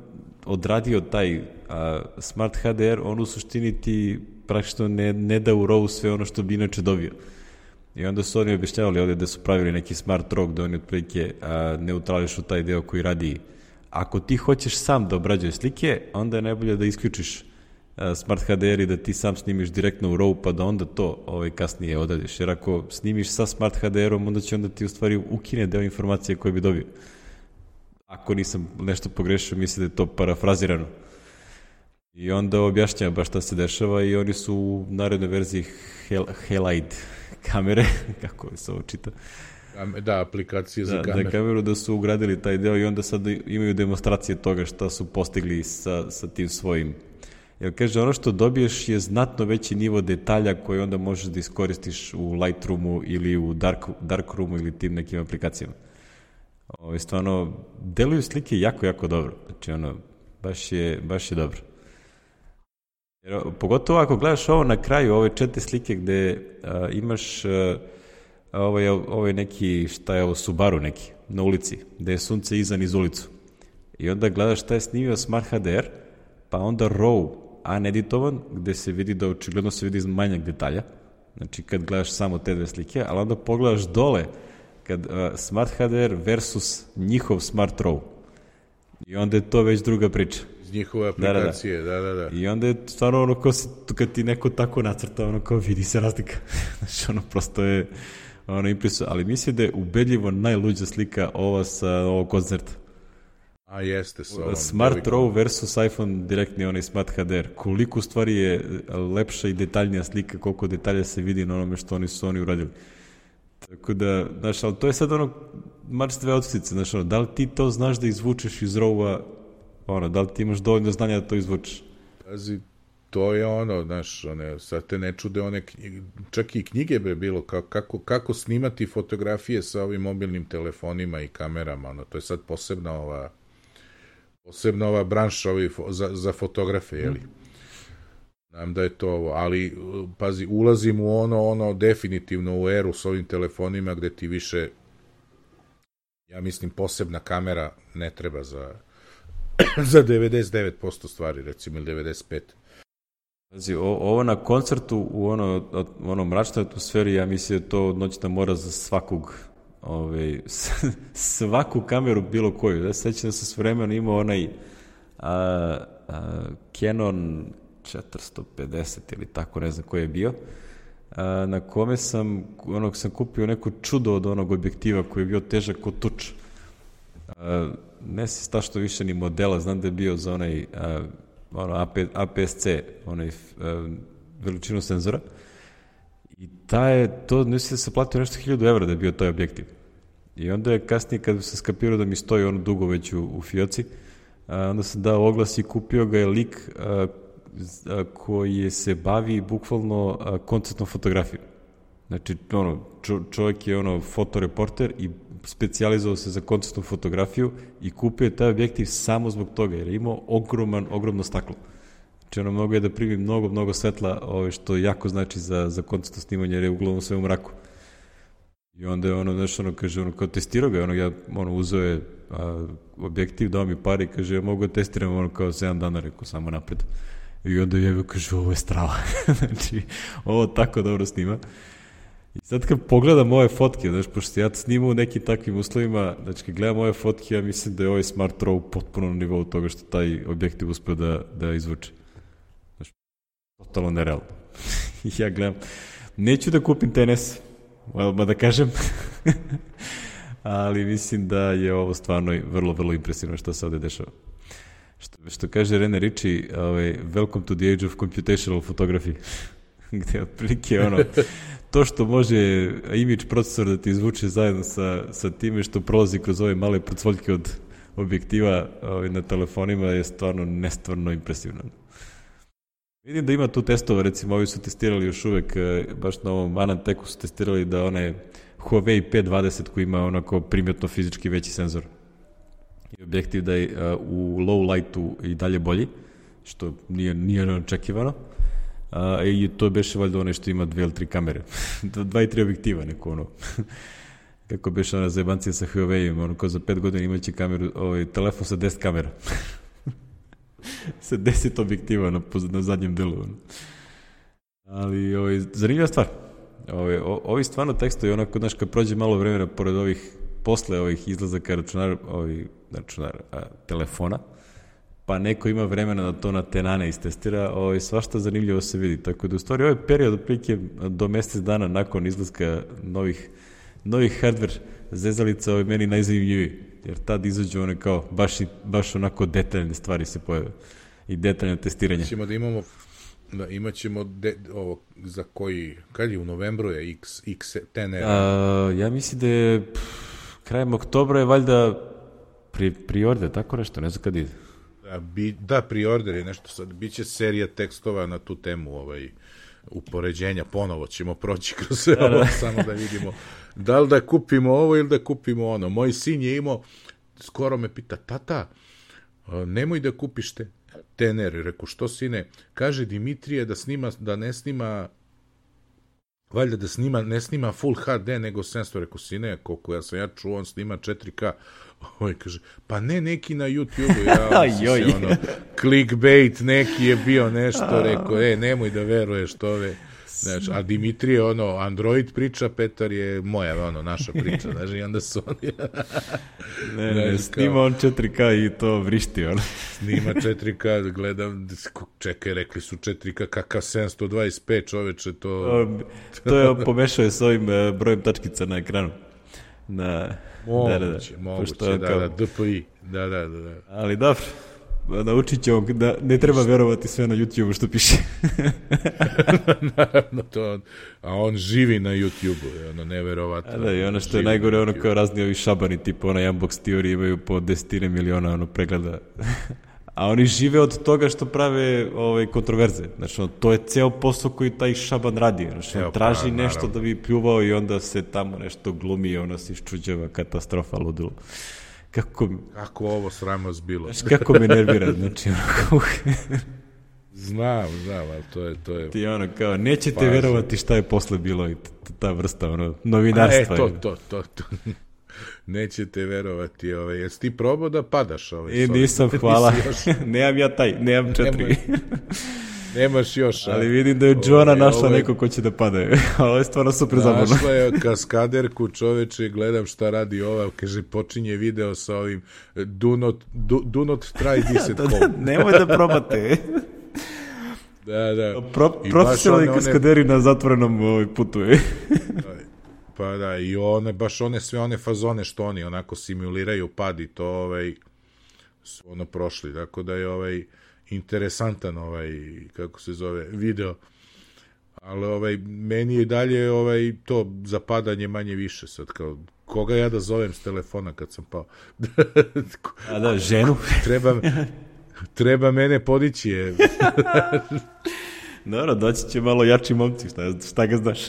odradio taj a, Smart H D R, on u suštini ti praktično ne, ne da u RAW sve ono što bi inače dobio. I onda su oni objašnjavali ovdje da su pravili neki smart RAW gde oni otprilike neutrališu taj deo koji radi. Ako ti hoćeš sam da obrađuješ slike, onda je najbolje da isključiš a, Smart H D R i da ti sam snimiš direktno u RAW, pa da onda to ovaj, kasnije odradiš. Jer ako snimiš sa Smart H D R-om, onda će onda ti u stvari ukine deo informacije koje bi dobio. Ako nisam nešto pogrešio, mislim da je to parafrazirano. I onda objašnjava baš šta se dešava i oni su u narednoj verziji Hel, Halide kamere, kako se ovo čita. Da, aplikacije za da, kameru. Da, kameru, da su ugradili taj deo i onda sad imaju demonstracije toga šta su postigli sa, sa tim svojim. Jer kaže, ono što dobiješ je znatno veći nivo detalja koji onda možeš da iskoristiš u Lightroomu ili u Dark, Darkroomu ili tim nekim aplikacijama. Ovo, stvarno, deluju slike jako, jako dobro. Znači, ono, baš je, baš je dobro. Jer, pogotovo ako gledaš ovo na kraju, ove četiri slike gde a, imaš a, ovaj, ovaj neki, šta je ovo, Subaru neki, na ulici, gde je sunce iza niz ulicu. I onda gledaš šta je snimio Smart H D R, pa onda RAW uneditovan, gde se vidi da očigledno se vidi manjak detalja, znači kad gledaš samo te dve slike, ali onda pogledaš dole, kad uh, Smart H D R versus njihov Smart RAW. I onda je to već druga priča. Iz njihove aplikacije, da, da, da. da. I onda je stvarno ono kao si, kad ti neko tako nacrta, ono kao vidi se razlika. Znači ono prosto je ono impresivno, ali mislim da je ubedljivo najluđa slika ova sa ovog koncerta. A jeste sa ovom. Smart RAW versus iPhone direktni onaj Smart H D R. Koliko stvari je lepša i detaljnija slika, koliko detalja se vidi na onome što oni su oni uradili. Tako da, znaš, ali to je sad ono mač dve odstice, znaš, ono, da li ti to znaš da izvučeš iz RAW-a, ono, da li ti imaš dovoljno znanja da to izvučeš? Pazi, to je ono, znaš, one, sad te ne čude one, čak i knjige be bilo, kako, kako snimati fotografije sa ovim mobilnim telefonima i kamerama, ono, to je sad posebna ova, posebna ova branša ovi, za, za fotografe, jeli? Mm. Znam da je to ovo, ali, pazi, ulazim u ono, ono, definitivno u eru s ovim telefonima gde ti više, ja mislim, posebna kamera ne treba za, za devedeset devet posto stvari, recimo, ili devedeset pet posto. Pazi, ovo na koncertu u ono, ono mračnoj atmosferi, ja mislim da je to noćna mora za svakog, ovaj, svaku kameru bilo koju. Ja sećam da sam s vremenom imao onaj a, a, Canon četiristo pedeset ili tako, ne znam koji je bio, a, na kome sam, onog sam kupio neko čudo od onog objektiva koji je bio težak kod tuč. A, ne se sta što više ni modela, znam da je bio za onaj a, ono, A P S C, onaj a, veličinu senzora, i ta je, to mislim da se platio nešto hiljadu evra da je bio taj objektiv. I onda je kasnije, kad se skapirao da mi stoji ono dugo već u, u fioci, a, onda sam dao oglas i kupio ga je lik a, a, koji se bavi bukvalno a, koncertnom fotografijom. Znači, ono, čo, čovjek je ono fotoreporter i specijalizovao se za koncertnu fotografiju i kupio je taj objektiv samo zbog toga, jer je imao ogroman, ogromno staklo. Znači, ono, mogo je da primi mnogo, mnogo svetla, ove, što jako znači za, za koncertno snimanje, jer je uglavnom sve u mraku. I onda je ono, znaš, ono, kaže, ono, kao testirao ga, ono, ja, ono, uzeo je a, objektiv, dao mi pare i kaže, ja mogu da testiram, ono, kao sedam dana, rekao, samo napred. I onda je kaže, ovo je strava. Znači, ovo tako dobro snima. I sad kad pogledam ove fotke, znaš, pošto ja snimam u nekim takvim uslovima, znači kad gledam ove fotke, ja mislim da je ovaj Smart Raw potpuno na nivou toga što taj objektiv uspeo da, da izvuče. Znači, totalno nerealno. Ja gledam, neću da kupim T N S, ma da kažem, ali mislim da je ovo stvarno vrlo, vrlo impresivno što se ovde dešava. Što, što kaže Rene Ritchie, ovaj, welcome to the age of computational photography, gde otprilike ono, to što može image procesor da ti izvuče zajedno sa, sa time što prolazi kroz ove male procvoljke od objektiva ovaj, na telefonima je stvarno nestvarno impresivno. Vidim da ima tu testova, recimo ovi su testirali još uvek, baš na ovom Ananteku su testirali da onaj Huawei P dvadeset koji ima onako primjetno fizički veći senzor i objektiv da je uh, u low lightu i dalje bolji, što nije, nije neočekivano. Uh, i to beše valjda ono što ima dve ili tri kamere. Dva i tri objektiva, neko ono. Kako beše ona zajebancija sa Huawei-om, ono kao za pet godina imaće kameru, ovaj, telefon sa deset kamera. Sa deset objektiva na, na zadnjem delu. Ono. Ali ovaj, zanimljiva stvar. Ovaj, ovi stvarno tekstovi, onako, znaš, kad prođe malo vremena pored ovih, posle ovih izlazaka računara, ovih, računara, a, telefona, pa neko ima vremena da to na tenane istestira, ovaj, svašta zanimljivo se vidi. Tako da u stvari ovaj period otprilike do mesec dana nakon izlaska novih, novih hardware zezalica ovaj, meni najzanimljiviji, jer tad izađu one kao baš, i, baš onako detaljne stvari se pojave i detaljne testiranje. Ćemo da imamo da imat ćemo de, ovo za koji, kad je u novembru je X, X ten R? A, ja mislim da je pff, krajem oktobra je valjda pri, priorde, tako nešto, ne znam kad ide. Da, bi, da, priorder je nešto sad, bit će serija tekstova na tu temu, ovaj, upoređenja, ponovo ćemo proći kroz sve ovo, samo da vidimo da li da kupimo ovo ili da kupimo ono. Moj sin je imao, skoro me pita, tata, nemoj da kupiš te T N R, reku, što sine, kaže Dimitrije da snima, da ne snima, valjda da snima, ne snima Full H D nego sedamsto, reku, sine, koliko ja sam ja čuo, on snima četiri K, ovaj kaže, pa ne neki na YouTube-u, ja se ono, clickbait neki je bio nešto, rekao, e, nemoj da veruješ to ove, znači, a Dimitrije, ono, Android priča, Petar je moja, ono, naša priča, znači, i onda su oni... ne, ne, ne, snima on četiri K i to vrišti, ono. Snima četiri K, gledam, čekaj, rekli su četiri K, kakav sedamsto dvadeset pet, čoveče, to... to je, pomešao je s ovim brojem tačkica na ekranu. Na... Moguće, da, da, da. moguće, da, kao... da, D P I, da, da, da. Ali dobro, naučit ćemo da ne treba verovati sve na YouTube-u što piše. Naravno, to, a on živi na YouTube-u, ono, neverovatno. A da, i ono što je najgore, ono kao razni ovi šabani, tipa onaj Unbox Theory imaju po desetine miliona ono, pregleda. A oni žive od toga što prave ovaj, kontroverze. Znači, ono, to je ceo posao koji taj šaban radi. Znači, on traži pa, nešto naravno da bi pljuvao i onda se tamo nešto glumi i ono se iščuđeva, katastrofa, ludilo. Kako... Kako ovo sramnost bilo. Znači, kako me nervira, znači, ono... znam, znam, ali to je... To je... Ti ono, kao, nećete pa, verovati šta je posle bilo i ta vrsta, ono, novinarstva. A, e, to, to, to, to. Nećete verovati, ovaj, jesi ti probao da padaš? Ovaj, e, nisam, hvala. Nemam ja taj, nemam četiri. Nema, nemaš još. A? Ali vidim da je Joana našla ovaj, neko ko će da pada. Ovo je stvarno super zabavno. Našla je kaskaderku, čoveče, gledam šta radi ova, kaže, počinje video sa ovim do not, do, do not try this at home. Nemoj da probate. Da, da. Pro, profesionalni kaskaderi one... na zatvorenom ovaj, putu. Pa da, i one, baš one, sve one fazone što oni onako simuliraju pad i to, ovaj, su ono prošli, tako da je ovaj interesantan ovaj, kako se zove, video, ali ovaj, meni je dalje ovaj, to zapadanje manje više sad, kao, koga ja da zovem s telefona kad sam pao? A da, ženu? treba, treba mene podići, je. Dobro, doći će malo jači momci, šta, šta ga znaš?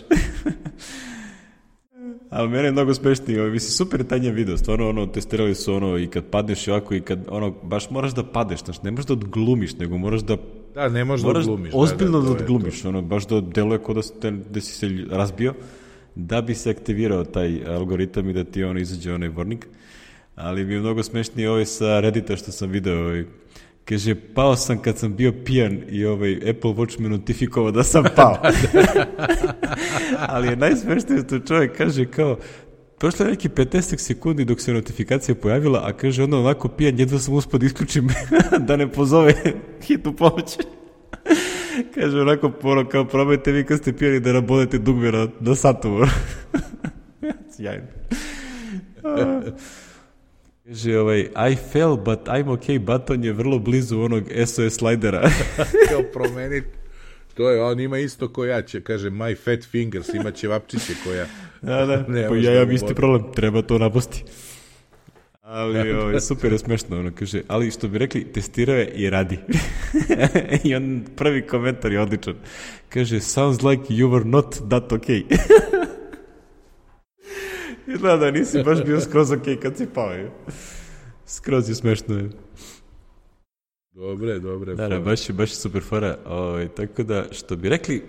Ali mene je mnogo smešnije, ovaj, mislim, super je taj njen video, stvarno, ono, testirali su ono i kad padneš i ovako i kad, ono, baš moraš da padeš, znači, ne možeš da odglumiš, nego moraš da... Da, ne možeš da odglumiš. Ozbiljno da, da, da odglumiš, ono, baš da deluje kao da, da si se razbio, da bi se aktivirao taj algoritam i da ti, ono, izađe onaj vornik, ali mi je mnogo smešnije ovaj sa Reddita što sam video, ovaj, Kaže, pao sam kad sam bio pijan i ovaj Apple Watch me notifikovao da sam pao. Ali je najsmešnije što čovjek kaže kao, prošlo je neki petnaest sekundi dok se notifikacija pojavila, a kaže onda onako pijan, jedva sam uspio da isključim da ne pozove hitnu pomoć. Kaže onako, ono, kao probajte vi kad ste pijani da nabodete dugme na, na satu. Sjajno. Kaže, ovaj, I fell, but I'm okay button je vrlo blizu onog S O S slidera. Kao promeniti. To je, on ima isto ko ja će, kaže, my fat fingers, ima ćevapčiće koja... Da, da, pa ja imam isti problem, treba to naposti. Ali ovaj, super je smešno, ono, kaže, ali što bi rekli, testirao je i radi. I on prvi komentar je odličan. Kaže, sounds like you were not that okay. Izgleda da nisi baš bio skroz ok kad si pao. Je. Skroz je smešno. Je. Dobre, dobre. Da, da, baš je, baš je super fora. Ove, tako da, što bi rekli,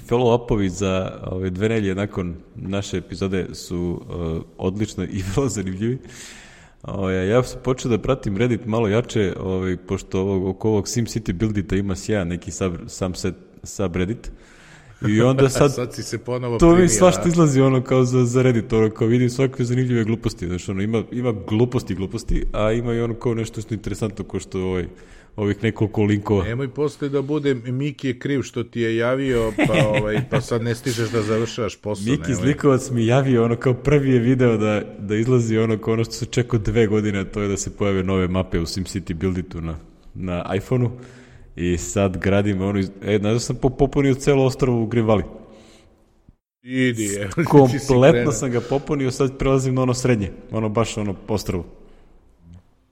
follow-upovi za ove dve nelje nakon naše epizode su uh, odlično i vrlo zanimljivi. Ove, ja sam počeo da pratim Reddit malo jače, ove, pošto ovog, oko ovog SimCity buildita ima sjajan neki sub, sam set, subreddit. I onda sad, sad si se ponovo to primio, mi svašta izlazi ono kao za, za Reddit, ono kao vidim svakve zanimljive gluposti, znači ono ima, ima gluposti gluposti, a ima i ono kao nešto što je interesantno ko što ovaj, ovih nekoliko linkova. Nemoj posle da bude Miki je kriv što ti je javio, pa, ovaj, pa sad ne stižeš da završavaš posao. Miki iz Likovac mi javio ono kao prvi je video da, da izlazi ono kao ono što se čekao dve godine, a to je da se pojave nove mape u SimCity builditu na, na iPhoneu. I sad gradimo ono, e, znači sam popunio celo ostrvo u Green Idi je. Kompletno sam ga popunio, sad prelazim na ono srednje, ono baš ono ostrvo.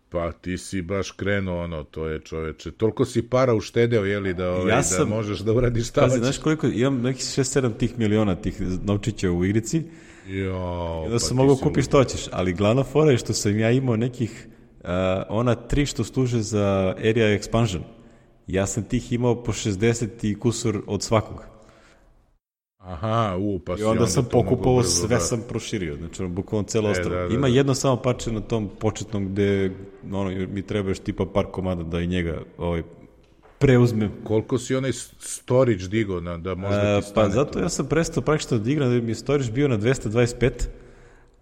Pa ti si baš krenuo ono, to je čoveče. Toliko si para uštedeo, jeli, da, ovaj, ja sam, da možeš da uradiš šta hoćeš. Znaš koliko, imam nekih šest sedam tih miliona tih novčića u igrici. Jo, I da pa sam mogao kupiti što hoćeš, ali glavna fora je što sam ja imao nekih, uh, ona tri što služe za area expansion. Ja sam tih imao po šezdeset i kusur od svakog. Aha, u, pa si i onda, onda sam pokupovao, sve da. sam proširio, znači ono, bukvalno celo e, ostrvo. Da, da, Ima da. jedno samo parče na tom početnom gde ono, mi treba još tipa par komada da i njega ovaj, preuzmem. Koliko si onaj storage digao na, da možda ti stane? Pa zato ja sam prestao praktično da igram, da mi je storage bio na dvesta dvadeset pet,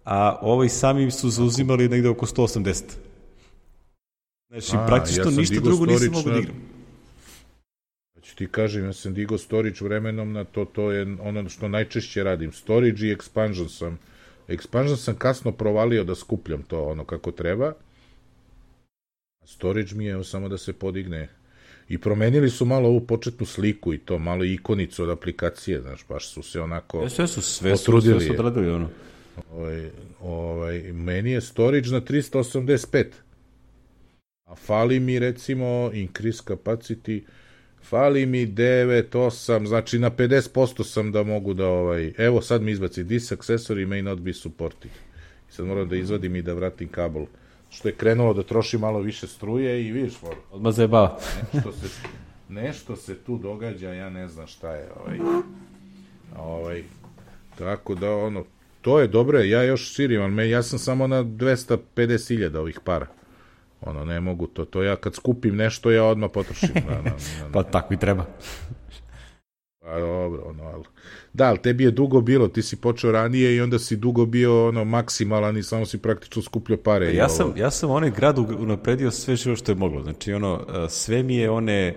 a ovaj sami su zauzimali negde oko sto osamdeset. Znači, a, praktično ja ništa drugo nisam mogu da igram. Znači ti kažem, ja sam digao storage vremenom na to, to je ono što najčešće radim. Storage i expansion sam. Expansion sam kasno provalio da skupljam to ono kako treba. A storage mi je evo, samo da se podigne. I promenili su malo ovu početnu sliku i to, malo ikonicu od aplikacije, znaš, baš su se onako sve su, sve potrudili. Sve su odradili, ono. Ovaj, ovaj, meni je storage na trista osamdeset pet. A fali mi, recimo, increase capacity, fali mi devet, osam, znači na pedeset posto sam da mogu da, ovaj, evo sad mi izbaci, this accessory may not be supported. I sad moram da izvadim i da vratim kabel. Što je krenulo da troši malo više struje i vidiš, moram. Odmah zajebava. Nešto se, nešto se tu događa, ja ne znam šta je, ovaj, ovaj, tako da, ono, to je dobro, ja još širim, ali ja sam samo na dvesta pedeset hiljada ovih para. Ono, ne mogu to, to ja kad skupim nešto, ja odmah potrošim. Na, na, na, na. Pa tako i treba. Pa dobro, ono, ali... Da, ali tebi je dugo bilo, ti si počeo ranije i onda si dugo bio, ono, maksimalan i samo si praktično skupljio pare. Ja sam, ja sam onaj grad unapredio sve živo što je moglo, znači, ono, sve mi je one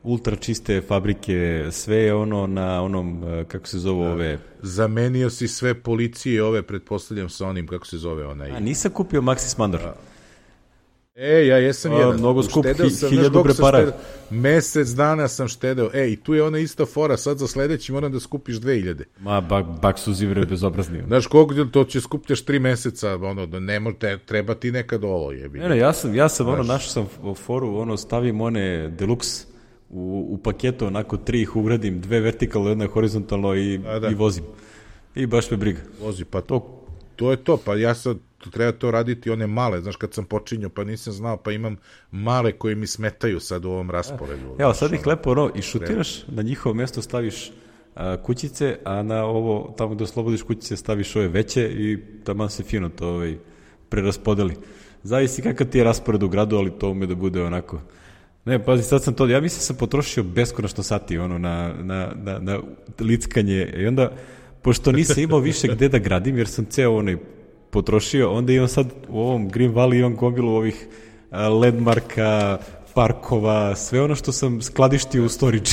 ultra čiste fabrike, sve je ono na onom, kako se zove ove... Zamenio si sve policije ove, pretpostavljam sa onim, kako se zove onaj... A nisam kupio Maxis Mandor. A... E, ja jesam A, jedan. Mnogo skup, hi, hiljadu prepara. Mesec dana sam štedeo. E, i tu je ona ista fora, sad za sledeći moram da skupiš dve hiljade. Ma, bak, bak su zivre bezobrazni. Znaš, koliko to će skupljaš tri meseca, ono, da ne može, treba ti nekad ovo jebi. Ne, ne, ja sam, ja sam, ono, našao sam foru, ono, stavim one deluxe u, u paketu, onako tri ih ugradim, dve vertikalno, jedna horizontalno i, A, da. i vozim. I baš me briga. Vozi, pa to, to je to, pa ja sad treba to raditi one male, znaš, kad sam počinio, pa nisam znao, pa imam male koje mi smetaju sad u ovom rasporedu. Evo, sad ih lepo, ono, i šutiraš, na njihovo mesto staviš a, kućice, a na ovo, tamo gde oslobodiš kućice, staviš ove veće i tamo se fino to ovaj, preraspodeli. Zavisi kakav ti je raspored u gradu, ali to ume da bude onako Ne, pazi, sad sam to, ja mislim sam potrošio beskonačno sati ono, na, na, na, na lickanje i onda, pošto nisam imao više gde da gradim, jer sam ceo onaj potrošio, onda imam sad u ovom Green Valley imam gomilu ovih landmarka, parkova, sve ono što sam skladištio u storage.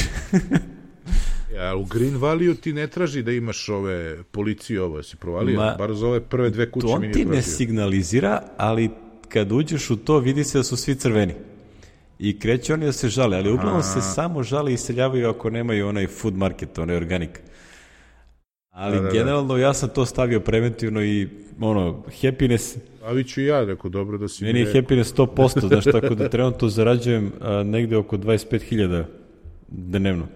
Ja, u Green Valleyu ti ne traži da imaš ove policije, ovo si provalio, Ma, bar za ove prve dve kuće mi nije tražio. To on ti ne signalizira, ali kad uđeš u to vidi se da su svi crveni. I kreće oni da se žale, ali uglavnom se samo žale i iseljavaju ako nemaju onaj food market, onaj organic. Ali da, da, generalno ja sam to stavio preventivno i ono, happiness... Ali ću i ja, rekao, dobro da si... Meni je happiness sto posto, znaš, tako da trenutno zarađujem a, negde oko dvadeset pet hiljada dnevno.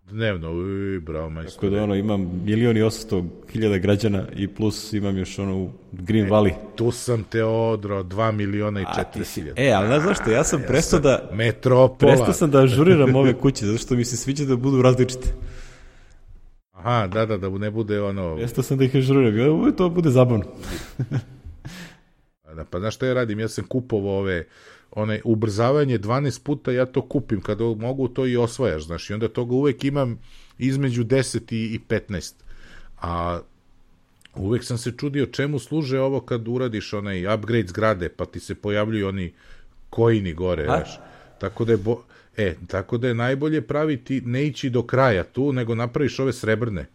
Dnevno, uj, bravo, majstor. Tako da ono, imam milion i osamsto hiljada građana i plus imam još ono u Green e, Valley. Tu sam te odrao dva miliona i četiri hiljada. E, ali znaš zašto, ja sam ja prestao da... Metropola. Prestao sam da ažuriram ove kuće, zato što mi se sviđa da budu različite. Aha, da, da, da ne bude ono... Prestao sam da ih ažuriram, to bude zabavno. Da, pa znaš šta ja radim, ja sam kupovao ove... One, ubrzavanje dvanaest puta ja to kupim, kada mogu to i osvajaš, znaš, i onda toga uvek imam između deset i petnaest. A uvek sam se čudio čemu služe ovo kad uradiš onaj upgrade zgrade, pa ti se pojavljuju oni coini gore, znaš. Tako da je bo... E, tako da je najbolje praviti, ne ići do kraja tu, nego napraviš ove srebrne,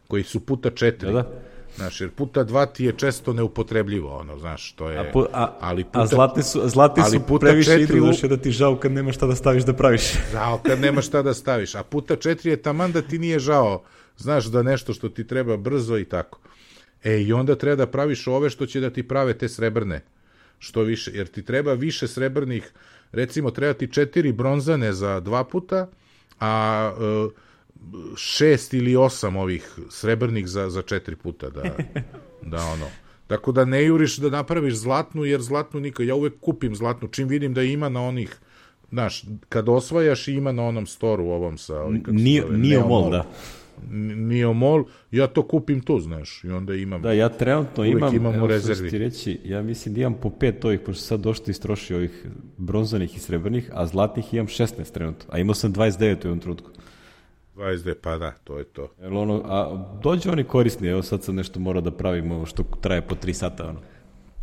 koji su puta četiri. Da, da. Znaš, jer puta dva ti je često neupotrebljivo, ono, znaš, to je... A, pu, a, ali puta, a zlatni su, zlatni su previše idu, znaš, da ti žao kad nema šta da staviš da praviš. Žao kad nema šta da staviš, a puta četiri je taman da ti nije žao, znaš, da nešto što ti treba brzo i tako. E, i onda treba da praviš ove što će da ti prave te srebrne, što više, jer ti treba više srebrnih, recimo, treba ti četiri bronzane za dva puta, a... Uh, šest ili osam ovih srebrnih za, za četiri puta da, da ono, tako da ne juriš da napraviš zlatnu, jer zlatnu nikad, ja uvek kupim zlatnu, čim vidim da ima na onih, znaš, kad osvajaš ima na onom storu ovom sa ovim, Neomol, da Neomol, ja to kupim tu, znaš, i onda imam, da, ja trenutno imam, imam evo što ti reći, ja mislim da imam po pet ovih, pošto sad došto istroši ovih bronzanih i srebrnih, a zlatnih imam šesnaest trenutno, a imao sam dvadeset devet u jednom trenutku. dvadeset devet, pa da, to je to. Jel ono, a dođe oni korisni, evo sad sam nešto mora da pravim ovo što traje po tri sata, ono.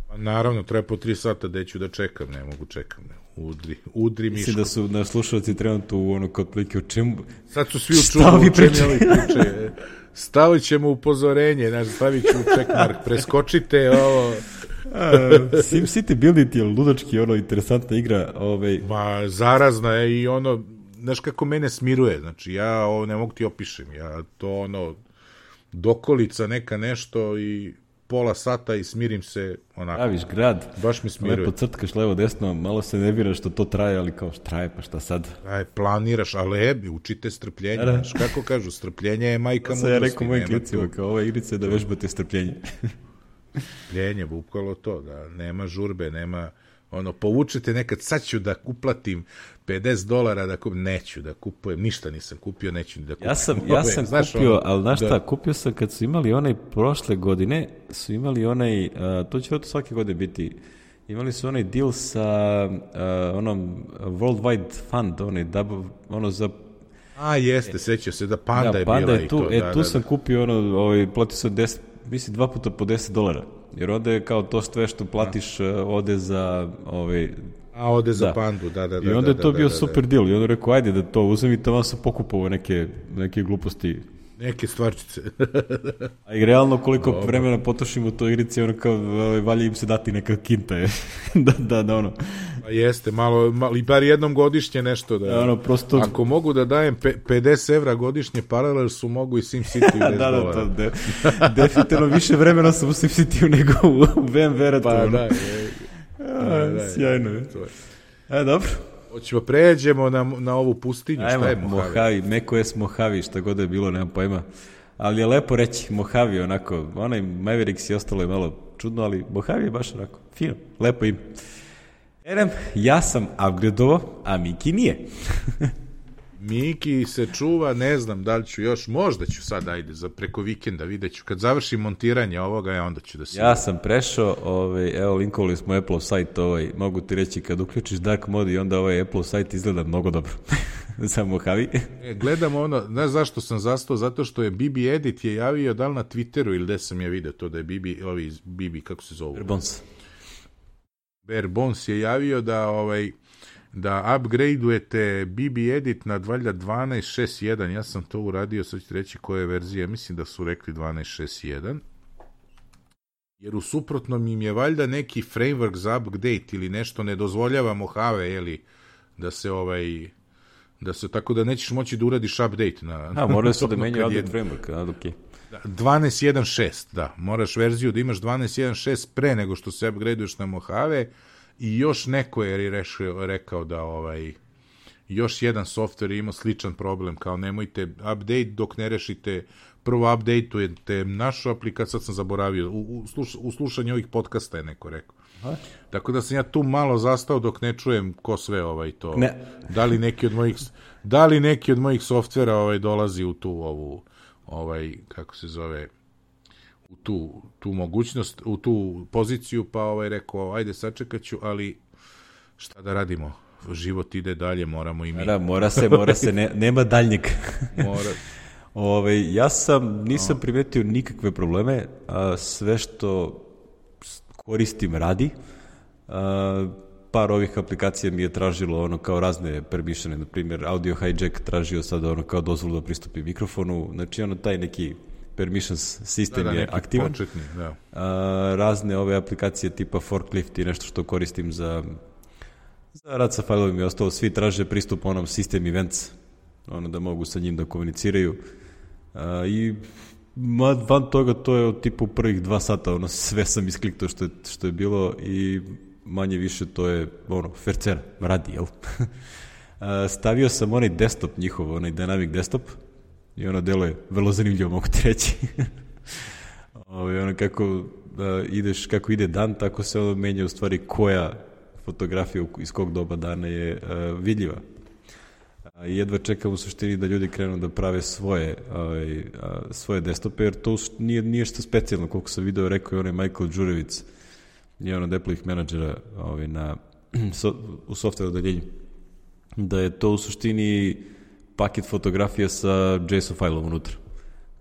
Pa naravno, traje po tri sata, da ću da čekam, ne mogu čekam, ne. Udri, udri miško. Mislim da su na slušalci trenutno u ono kod plike, o čemu... Sad su svi u čudu, u čemu ovi priče. Stavit ćemo upozorenje, znaš, stavit ću checkmark, preskočite ovo... SimCity Buildit je ludački, ono, interesantna igra. Ovaj... Ma, zarazna je i ono... Znaš kako mene smiruje, znači ja ovo ne mogu ti opišem, ja to ono dokolica neka nešto i pola sata i smirim se onako. Praviš grad, baš mi smiruje. Lepo crtkaš levo desno, malo se nerviraš što to traje, ali kao što traje, pa šta sad? Aj, planiraš, ali učite strpljenje, znaš, kako kažu, strpljenje je majka mudrosti. Ja rekao mojim klicima, kao ova igrica je da vežbate strpljenje. Strpljenje, bukvalo to, da nema žurbe, nema... ono, povučete nekad, sad ću da uplatim pedeset dolara, da kupim, neću da kupujem, ništa nisam kupio, neću da kupujem. Ja sam, ja sam znaš, kupio, ono, ali znaš šta, da... kupio sam kad su imali onaj prošle godine, su imali onaj, uh, to će to svake godine biti, imali su onaj deal sa uh, onom Worldwide Fund, onaj, double, ono za... A, jeste, sećao se da Panda da, je Panda bila je i tu, to. E, da, tu da, sam da. kupio ono, ovaj, platio sam deset, mislim dva puta po deset dolara. Jer onda je kao to sve što platiš uh, ode za... Ovaj, a ode za da. Pandu, da, da, da. I onda je to da, bio da, super da. deal. I onda rekao, ajde da to uzem i tamo sam pokupovao neke, neke gluposti. Neke stvarčice. A i realno koliko Dobre. vremena potrošimo u toj igrici, ono kao, valje im se dati neka kinta je. da, da, da, ono. Pa jeste, malo, malo, i bar jednom godišnje nešto da... da ono, prosto... Ako mogu da dajem pe, pedeset evra godišnje paralel su mogu i SimCity da, da, da, to, de, definitivno više vremena sam u SimCity nego u V M W-u. Pa ono. da, je. A, da, sjajno je. E, dobro. Hoćemo, pređemo na, na ovu pustinju. Ajmo, šta je Mojave? Mojave, neko je s Mojave, šta god je bilo, nemam pojma. Ali je lepo reći Mojave, onako, onaj Mavericks i ostalo je malo čudno, ali Mojave je baš onako, fino, lepo ime. Erem, ja sam upgradeovao, a Miki nije. Miki se čuva, ne znam da li ću još, možda ću sad, ajde, za preko vikenda, vidjet ću. Kad završim montiranje ovoga, ja onda ću da se... Ja sam prešao, ovaj, evo, linkovali smo Apple sajt, ovaj, mogu ti reći, kad uključiš Dark Mode i onda ovaj Apple sajt izgleda mnogo dobro. Za Mojave. E, gledam ono, ne zašto sam zastao, zato što je Bibi Edit je javio, da li na Twitteru ili gde sam ja vidio to, da je Bibi, ovi, Bibi, kako se zovu? Bear Bones. Bear Bones je javio da, ovaj, da upgradeujete B B Edit na valjda dvanaest šest jedan, ja sam to uradio, sad ću reći koja je verzija, mislim da su rekli dvanaest šest jedan, jer u suprotnom im je valjda neki framework za update ili nešto ne dozvoljava Mojave, jeli, da se ovaj, da se, tako da nećeš moći da uradiš update na... A, moraju su da menjaju update framework, a, ok. dvanaest jedan šest, da, moraš verziju da imaš dvanaest jedan šest pre nego što se upgradeuješ na Mojave. I još neko je rešio, rekao da ovaj, još jedan softver je imao sličan problem, kao nemojte update dok ne rešite, prvo updateujete našu aplikaciju, sad sam zaboravio, u, u, sluš, u slušanju ovih podcasta je neko rekao. Aha. Tako da sam ja tu malo zastao dok ne čujem ko sve ovaj to, ne. da li neki od mojih, da li neki od mojih softvera ovaj dolazi u tu ovu, ovaj, kako se zove, u tu, tu mogućnost, u tu poziciju, pa ovaj rekao, ajde sačekat ću, ali šta da radimo? Život ide dalje, moramo i mi. Da, mora se, mora se, ne, nema daljnjeg. Mora. Ove, ja sam, nisam no. primetio nikakve probleme, a sve što koristim radi. A, par ovih aplikacija mi je tražilo ono kao razne permissione, na primjer Audio Hijack tražio sad ono kao dozvolu da pristupi mikrofonu, znači ono taj neki permissions sistem da, da, je aktivan. Početni, da. A, razne ove aplikacije tipa Forklift i nešto što koristim za, za rad sa failovima i ostalo, svi traže pristup onom system events, ono da mogu sa njim da komuniciraju. A, I van toga to je od tipu prvih dva sata, ono sve sam iskliktao što je, što je bilo i manje više to je ono, fercera, radi, jel? A, stavio sam onaj desktop njihov, onaj dynamic desktop, i ono deluje vrlo zanimljivo, mogu ti reći. Ovo, ono kako da ideš, kako ide dan, tako se ono menja u stvari koja fotografija iz kog doba dana je uh, vidljiva. A jedva čekam u suštini da ljudi krenu da prave svoje, ovaj, uh, svoje desktope, jer to nije, nije što specijalno, koliko sam video, rekao je onaj Michael Đurevic, je ono od Apple-ih menadžera ovaj, na, so, u software odeljenju, da je to u suštini paket fotografija sa JSON failom unutra,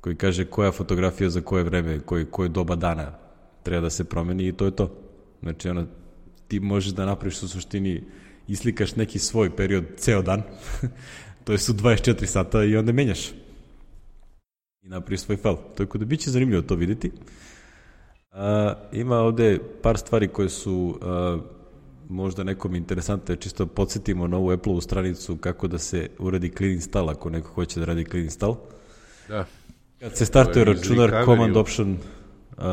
koji kaže koja fotografija za koje vreme, koji, koje doba dana treba da se promeni i to je to. Znači, ono, ti možeš da napraviš u suštini, islikaš neki svoj period ceo dan, to je su dvadeset četiri sata i onda menjaš. I napraviš svoj fail. Tako da biće zanimljivo to vidjeti. A, ima ovde par stvari koje su a, možda nekom interesantno, čisto podsjetimo na ovu Apple-ovu stranicu kako da se uradi clean install ako neko hoće da radi clean install. Da. Kad se startuje računar, command option uh,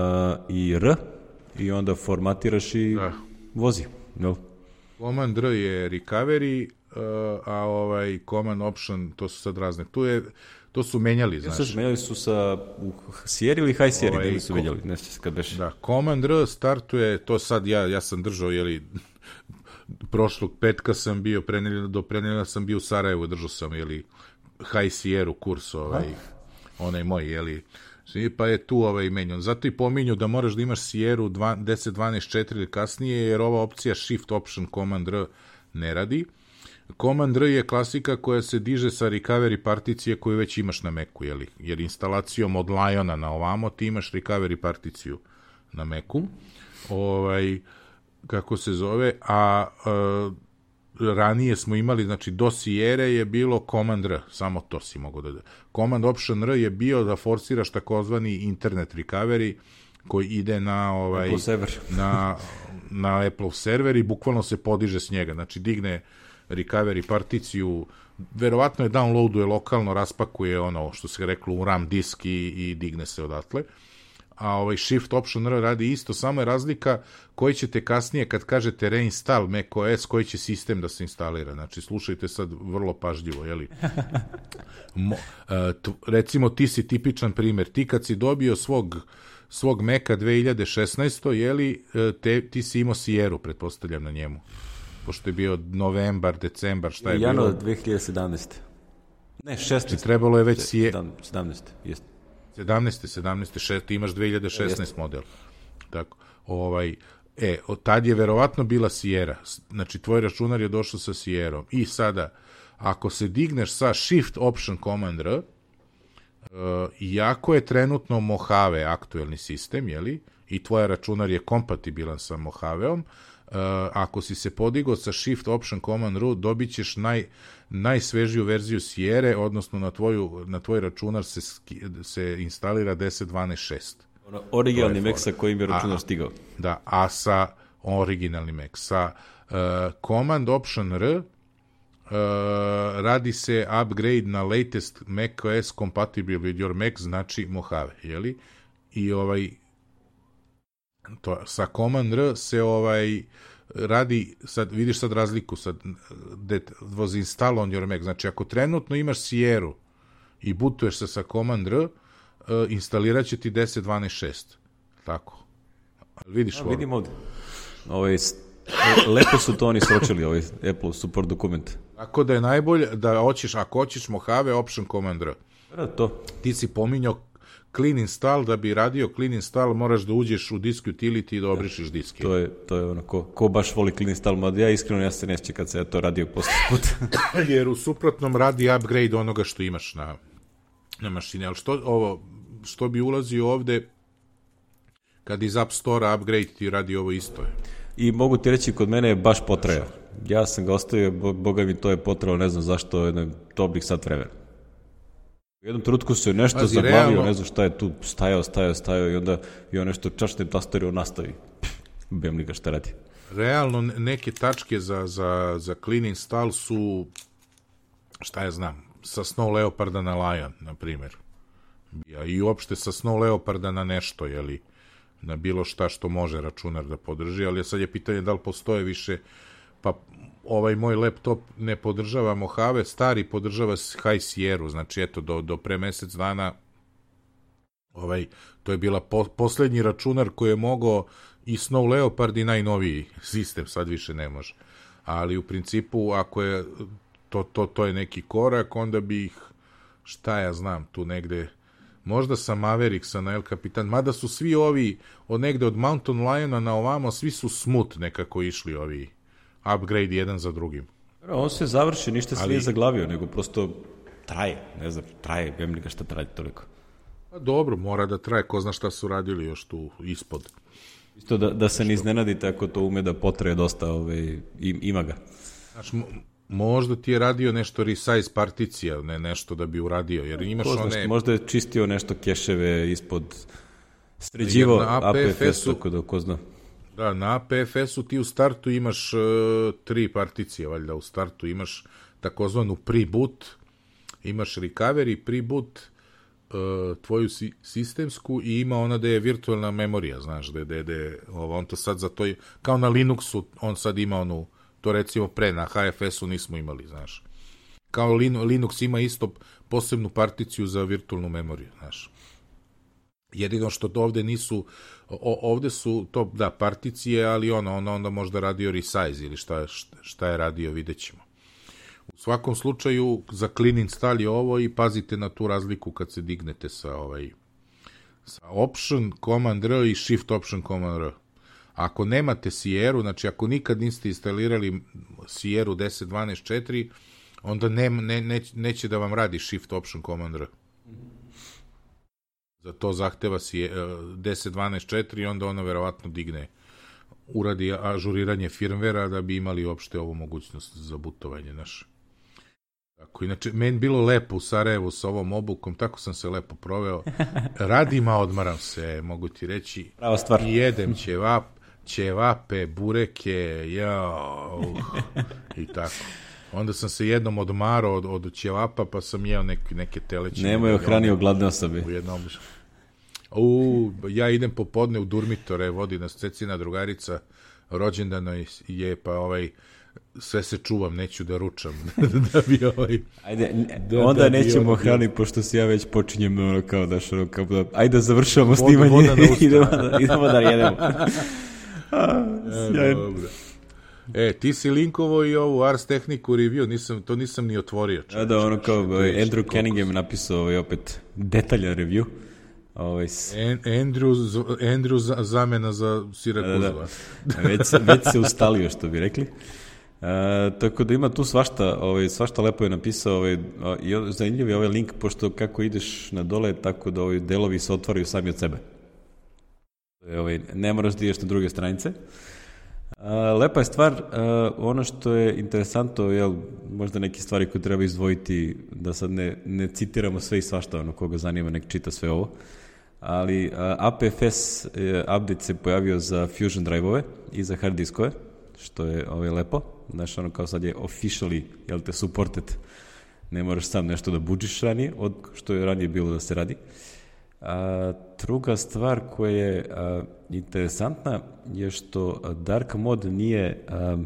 i R i onda formatiraš i da. Vozi. No. Command R je recovery, uh, a ovaj command option, to su sad razne. Tu je, to su menjali, znaš. Sad menjali su sa u Sierra ili High Sierra, ovaj, gde su menjali, ne se kad beš. Da, command R startuje, to sad ja, ja sam držao, jeli, prošlog petka sam bio, prenelja, do prenelja sam bio u Sarajevu, držao sam, jeli, High Sierra kurs, ovaj, ha? Onaj moj, jeli, pa je tu ovaj menjan. Zato i pominju da moraš da imaš Sierra deset dvanaest četiri ili kasnije, jer ova opcija Shift Option Command R ne radi. Command R je klasika koja se diže sa recovery particije koju već imaš na Macu, jeli? Jer instalacijom od Liona na ovamo ti imaš recovery particiju na Macu. Ovaj, kako se zove, a uh, ranije smo imali, znači do Sierra je bilo Command R, samo to si mogo da da. Command Option R je bio da forsiraš takozvani internet recovery koji ide na ovaj na, na Apple server i bukvalno se podiže s njega, znači digne recovery particiju, verovatno je downloaduje lokalno, raspakuje ono što se reklo u RAM disk i, i digne se odatle. A ovaj Shift Option R radi isto, samo je razlika koji ćete kasnije, kad kažete reinstall macOS, koji će sistem da se instalira. Znači, slušajte sad vrlo pažljivo, jeli? Mo, uh, t, recimo, ti si tipičan primjer. Ti kad si dobio svog, svog Maca dve hiljade šesnaeste. jeli, te, ti si imao Sierra, pretpostavljam na njemu. Pošto je bio novembar, decembar, šta je Januar bilo? dve hiljade sedamnaeste. Ne, šesnaest. Trebalo je već sije... sedamnaest, jeste. sedamnaest, sedamnaest, šest, ti imaš dve hiljade šesnaest model. Tako, ovaj, e, od tad je verovatno bila Sierra. Znači, tvoj računar je došao sa Sierrom. I sada, ako se digneš sa Shift Option Command R, uh, iako je trenutno Mojave aktuelni sistem, jeli, i tvoj računar je kompatibilan sa Mojaveom, uh, ako si se podigao sa Shift Option Command R, dobit ćeš naj, najsvežiju verziju Sierre, odnosno na, tvoju, na tvoj računar se, se instalira deset dvanaest šest. Ono, originalni Mac sa kojim je računar a, stigao. Da, a sa originalni Mac. Sa uh, Command Option R uh, radi se upgrade na latest macOS compatible with your Mac, znači Mojave, jeli? I ovaj to, sa Command R se ovaj radi, sad vidiš sad razliku, sad that was installed on your Mac, znači ako trenutno imaš Sierru i bootuješ se sa Command R, uh, instalirat će ti deset dvanaest šest. Tako. Vidiš ja, vidim ovdje. Ovaj, lepo su to oni sročili, ovaj Apple support dokument. Tako da je najbolje da hoćeš, ako hoćeš Mojave, Option Command R. Da, to. Ti si pominjao clean install, da bi radio clean install moraš da uđeš u disk utility i da obrišeš disk. To je, to je ono, ko, ko baš voli clean install, mada ja iskreno ja se neće kad se ja to radio posle puta. Jer u suprotnom radi upgrade onoga što imaš na, na mašini. Ali što, ovo, što bi ulazio ovde, kad iz App Store upgrade ti radi ovo isto. I mogu ti reći, kod mene je baš potrajao. Ja sam ga ostavio, boga mi to je potrajao, ne znam zašto, jedan dobrih sat vremena. U jednom trenutku se nešto Pazi, zaglavio, realno... ne znam šta je tu, stajao, stajao, stajao i onda i on nešto čačnem tastaru nastavi. Bem li ga šta radi. Realno neke tačke za, za, za clean install su, šta ja znam, sa Snow Leoparda na Lion, na primjer. I uopšte sa Snow Leoparda na nešto, jeli, na bilo šta što može računar da podrži, ali sad je pitanje da li postoje više, pa ovaj moj laptop ne podržava Mojave, stari podržava High Sierru, znači eto, do, do pre mesec dana ovaj, to je bila po, poslednji računar koji je mogao i Snow Leopard i najnoviji sistem, sad više ne može. Ali u principu, ako je to, to, to je neki korak, onda bi ih, šta ja znam, tu negde, možda sa Mavericksa na El Capitan, mada su svi ovi, od negde od Mountain Liona na ovamo, svi su smooth nekako išli ovi upgrade jedan za drugim. On se završi, ništa se Ali... nije zaglavio, nego prosto traje, ne znam, traje, vem li ga šta traje toliko. Pa dobro, mora da traje, ko zna šta su radili još tu ispod. Isto da, da se ne iznenadite ako to ume da potraje dosta, ove, ima ga. Znači, možda ti je radio nešto resize particija, ne nešto da bi uradio, jer imaš ko znaš, one... Možda je čistio nešto keševe ispod, sređivo A P F S, tako da ko zna. Da, na A P F S-u ti u startu imaš uh, tri particije, valjda u startu imaš takozvanu pre-boot, imaš recovery, pre-boot, uh, tvoju si, sistemsku i ima ona da je virtualna memorija, znaš, da je, da je, ovo, on to sad za to, kao na Linuxu, on sad ima onu, to recimo pre, na H F S-u nismo imali, znaš. Kao Linux ima isto posebnu particiju za virtualnu memoriju, znaš. Jedino što to ovde nisu, o, ovde su to, da, particije, ali ono, ono onda možda radio resize ili šta, šta je radio, vidjet ćemo. U svakom slučaju, za clean install je ovo i pazite na tu razliku kad se dignete sa ovaj, sa Option, Command R i Shift Option Command R. Ako nemate Sierru, znači ako nikad niste instalirali Sierru deset dvanaest četiri, onda ne, ne, ne, neće da vam radi Shift Option Command R. Za to zahteva si deset dvanaest četiri i onda ono verovatno digne, uradi ažuriranje firmvera da bi imali uopšte ovu mogućnost za bootovanje naše. Tako, inače, meni bilo lepo u Sarajevu sa ovom obukom, tako sam se lepo proveo. Radim, a odmaram se, mogu ti reći. Prava stvar. I jedem ćevap, ćevape, bureke, jao, uh, i tako. Onda sam se jednom odmarao od, od ćevapa, pa sam jeo neke, neke telećine. Nemoj ohranio gladne osobe. U jednom... U, ja idem popodne u Durmitore, vodi nas Cecina drugarica, rođendano je, pa ovaj, sve se čuvam, neću da ručam. da bi ovaj... Ajde, da, onda da nećemo ovaj... hrani, pošto se ja već počinjem ono kao daš, ono kao da... Ajde da završavamo voda, snimanje, voda idemo, da, idemo da jedemo. A, e, dobro. E, ti si linkovo i ovu Ars Technicu review, nisam, to nisam ni otvorio. Da, da, ono kao Andrew Cunningham napisao ovaj, opet detaljan review. Ovaj, s... An, Andrew, Andrew za, zamena za Sirakuzu. Da, da. Već, već se ustalio, što bi rekli. Uh, tako da ima tu svašta, ovaj, svašta lepo je napisao ovaj, i zanimljiv je ovaj link, pošto kako ideš na dole, tako da ovaj, delovi se otvaraju sami od sebe. Ovaj, ne moraš da ideš na druge stranice. Uh, lepa je stvar, uh, ono što je interesantno, jel, možda neke stvari koje treba izdvojiti, da sad ne, ne citiramo sve i svašta, ono koga zanima nek čita sve ovo, ali uh, A P F S uh, update se pojavio za Fusion drive-ove i za hard diskove, što je ovaj, lepo. Znaš, ono kao sad je officially, jel te, supported. Ne moraš sam nešto da buđiš ranije, od što je ranije bilo da se radi. A, druga stvar koja je a, interesantna je što dark mod nije, a,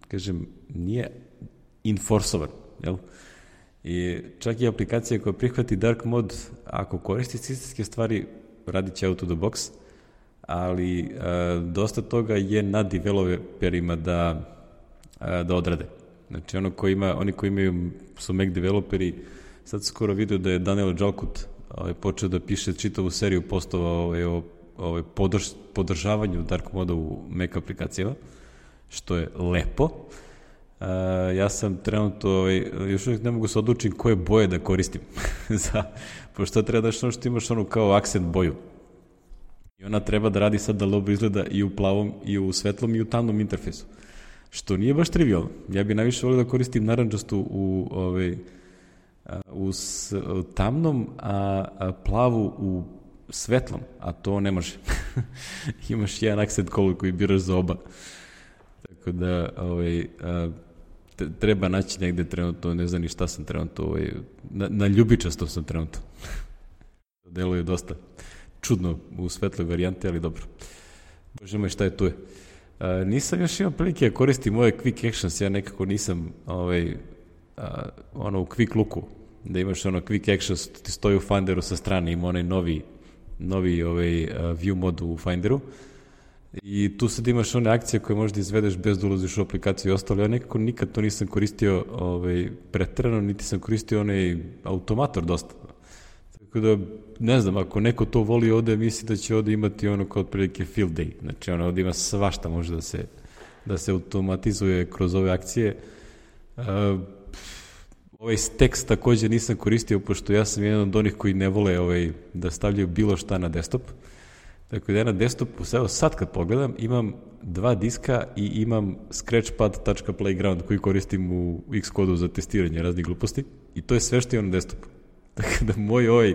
kažem, nije enforcovan, jel? I čak i aplikacija koja prihvati dark mod, ako koristi sistemske stvari, radit će out of the box, ali a, dosta toga je na developerima da da odrade. Znači, ono ko ima, oni koji imaju, su Mac developeri, sad skoro vidio da je Daniel Jalkut ovaj, počeo da piše čitavu seriju postova ovaj, o ovaj, podrž, podržavanju dark moda u Mac aplikacijama, što je lepo. Uh, ja sam trenutno, ovaj, još uvijek ne mogu se odlučiti koje boje da koristim. Za, pošto treba da što što imaš onu kao akcent boju. I ona treba da radi sad da dobro izgleda i u plavom, i u svetlom, i u tamnom interfejsu. Što nije baš trivialno. Ja bi najviše volio da koristim naranđastu u, ovaj, u, s, u tamnom, a, a plavu u svetlom, a to ne može. Imaš jedan accent color koji biraš za oba. Tako da ovaj, a, treba naći negde trenutno, ne znam ni šta sam trenutno, ovaj, na, na ljubičasto sam trenutno. Deluje dosta čudno u svetloj varijante, ali dobro. Bože moj, šta je tu je? Uh, nisam još imao prilike da koristim ove quick actions, ja nekako nisam ovaj, uh, ono u quick looku, da imaš ono quick actions, ti stoji u Finderu sa strane, ima onaj novi, novi ovaj, uh, view mod u Finderu i tu sad imaš one akcije koje možda izvedeš bez da ulaziš u aplikaciju i ostalo, ja nekako nikad to nisam koristio ovaj, pretrano, niti sam koristio onaj automator dosta. Tako da, ne znam, ako neko to voli ovde, misli da će ovde imati ono kao otprilike field day. Znači, ono, ovde ima svašta može da se, da se automatizuje kroz ove akcije. Uh, ovaj tekst takođe nisam koristio, pošto ja sam jedan od onih koji ne vole ovaj, da stavljaju bilo šta na desktop. Tako da ja na desktopu, evo sad kad pogledam, imam dva diska i imam scratchpad.playground koji koristim u Xcode-u za testiranje raznih gluposti. I to je sve što je na desktopu. Tako da moj ovaj,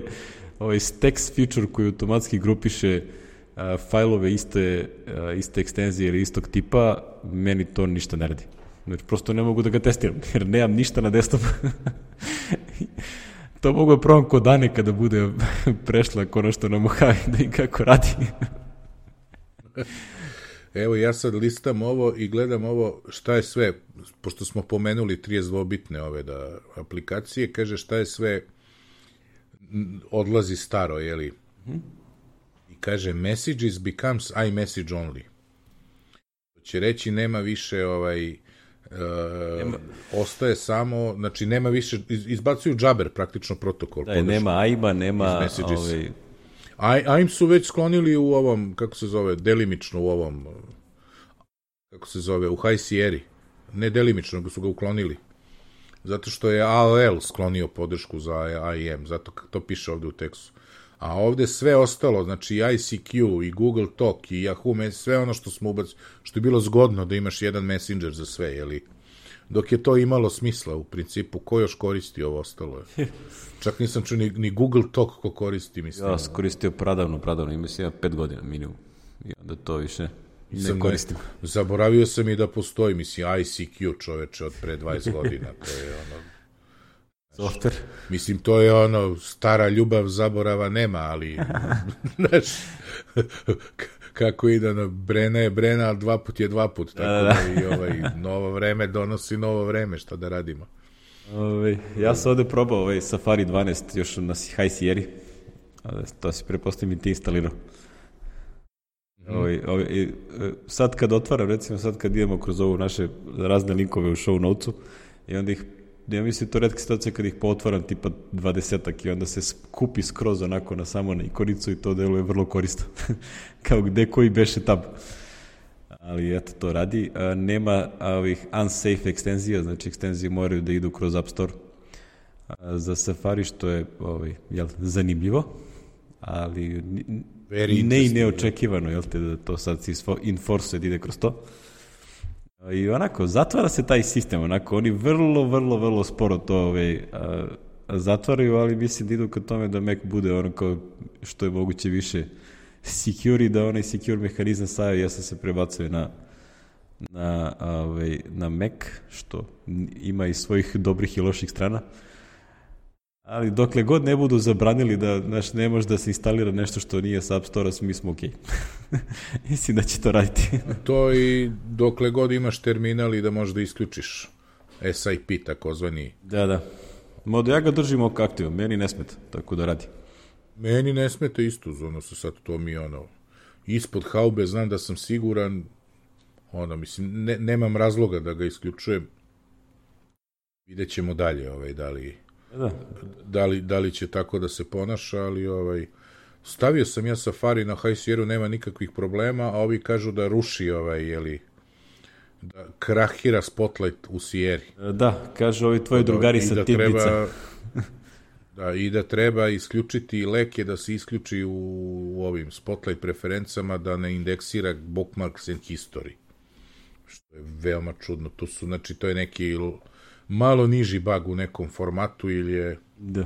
ovaj text feature koji automatski grupiše uh, fajlove iste, uh, iste ekstenzije ili istog tipa, meni to ništa ne radi. Znači, prosto ne mogu da ga testiram, jer nemam ništa na desktopu. To mogu da probam kod Dane kada bude prešla konačno na Mojave da i kako radi. Evo, ja sad listam ovo i gledam ovo šta je sve, pošto smo pomenuli trideset dvobitne ove da, aplikacije, kaže šta je sve odlazi staro, jeli? Hmm. I kaže, messages becomes iMessage only. To će reći, nema više ovaj, uh, nema. Ostaje samo, znači nema više, iz, izbacuju džaber praktično protokol. Da, nema A I M-a, nema ovaj... A I M su već sklonili u ovom, kako se zove, delimično u ovom, kako se zove, u High Sierra. Ne delimično, nego su ga uklonili. Zato što je A O L sklonio podršku za A I M, zato to piše ovde u tekstu. A ovde sve ostalo, znači I C Q i Google Talk i Yahoo, sve ono što smo ubacili, što je bilo zgodno da imaš jedan messenger za sve, jeli? Dok je to imalo smisla u principu, ko još koristi ovo ostalo je. Čak nisam čuo ni, ni Google Talk ko koristi, mislim. Ja sam koristio pradavno, pradavno, mislim, pet godina minimum. I onda to više ne koristim. Ne, zaboravio sam i da postoji, mislim, I C Q, čoveče, od pre dvadeset godina, to je ono... Software. Mislim, to je ono, stara ljubav, zaborava nema, ali, znaš, kako ide, ono, Brena je Brena, ali dva put je dva put, tako da, da i ovaj, novo vreme donosi novo vreme, šta da radimo. Ove, ja sam ovde probao ovaj Safari dvanaest, još na High Sierra, to si prepostavim i ti instalirao. Mm. Ovaj, ovaj, sad kad otvaram, recimo sad kad idemo kroz ovu naše razne linkove u show notesu i onda ih, ja mislim to retka situacija kad ih pootvaram tipa dvadesetak i onda se skupi skroz onako na samo na ikonicu i to deluje vrlo korisno. Kao gde koji beše tab. Ali eto, to radi. A, nema ovih unsafe ekstenzija, znači ekstenzije moraju da idu kroz App Store a, za Safari, što je ovaj, jel, zanimljivo, ali Very ne i neočekivano, jel te, da to sad si enforce ide kroz to. I onako, zatvara se taj sistem, onako, oni vrlo, vrlo, vrlo sporo to ovaj, a, a zatvaraju, ali mislim da idu ka tome da Mac bude onako što je moguće više secure i da onaj secure mehanizam sa iOS-a se prebacuje na, na, ovaj, na Mac, što ima i svojih dobrih i loših strana. Ali dokle god ne budu zabranili da, znaš, ne može da se instalira nešto što nije sa App Store-a, mi smo okej. Okay. Mislim da će to raditi. To i dokle god imaš terminal i da možeš da isključiš S I P, takozvani. Da, da. Modo, ja ga držim oko aktivom, meni ne smeta, tako da radi. Meni ne smeta isto, ono se sad to mi ono, ispod haube, znam da sam siguran, ono, mislim, ne, nemam razloga da ga isključujem. Vidjet ćemo dalje, ovaj, da li... Da. Da, li, da li će tako da se ponaša, ali ovaj, stavio sam ja Safari na High Sierra, nema nikakvih problema, a ovi kažu da ruši ovaj, jeli, da krahira Spotlight u Sierri. Da, kažu ovi tvoji drugari sa da Tibnica. Da, i da treba isključiti leke, da se isključi u, u ovim Spotlight preferencama, da ne indeksira bookmarks and history. Što je veoma čudno. To su, znači, to je neki malo niži bug u nekom formatu ili je da.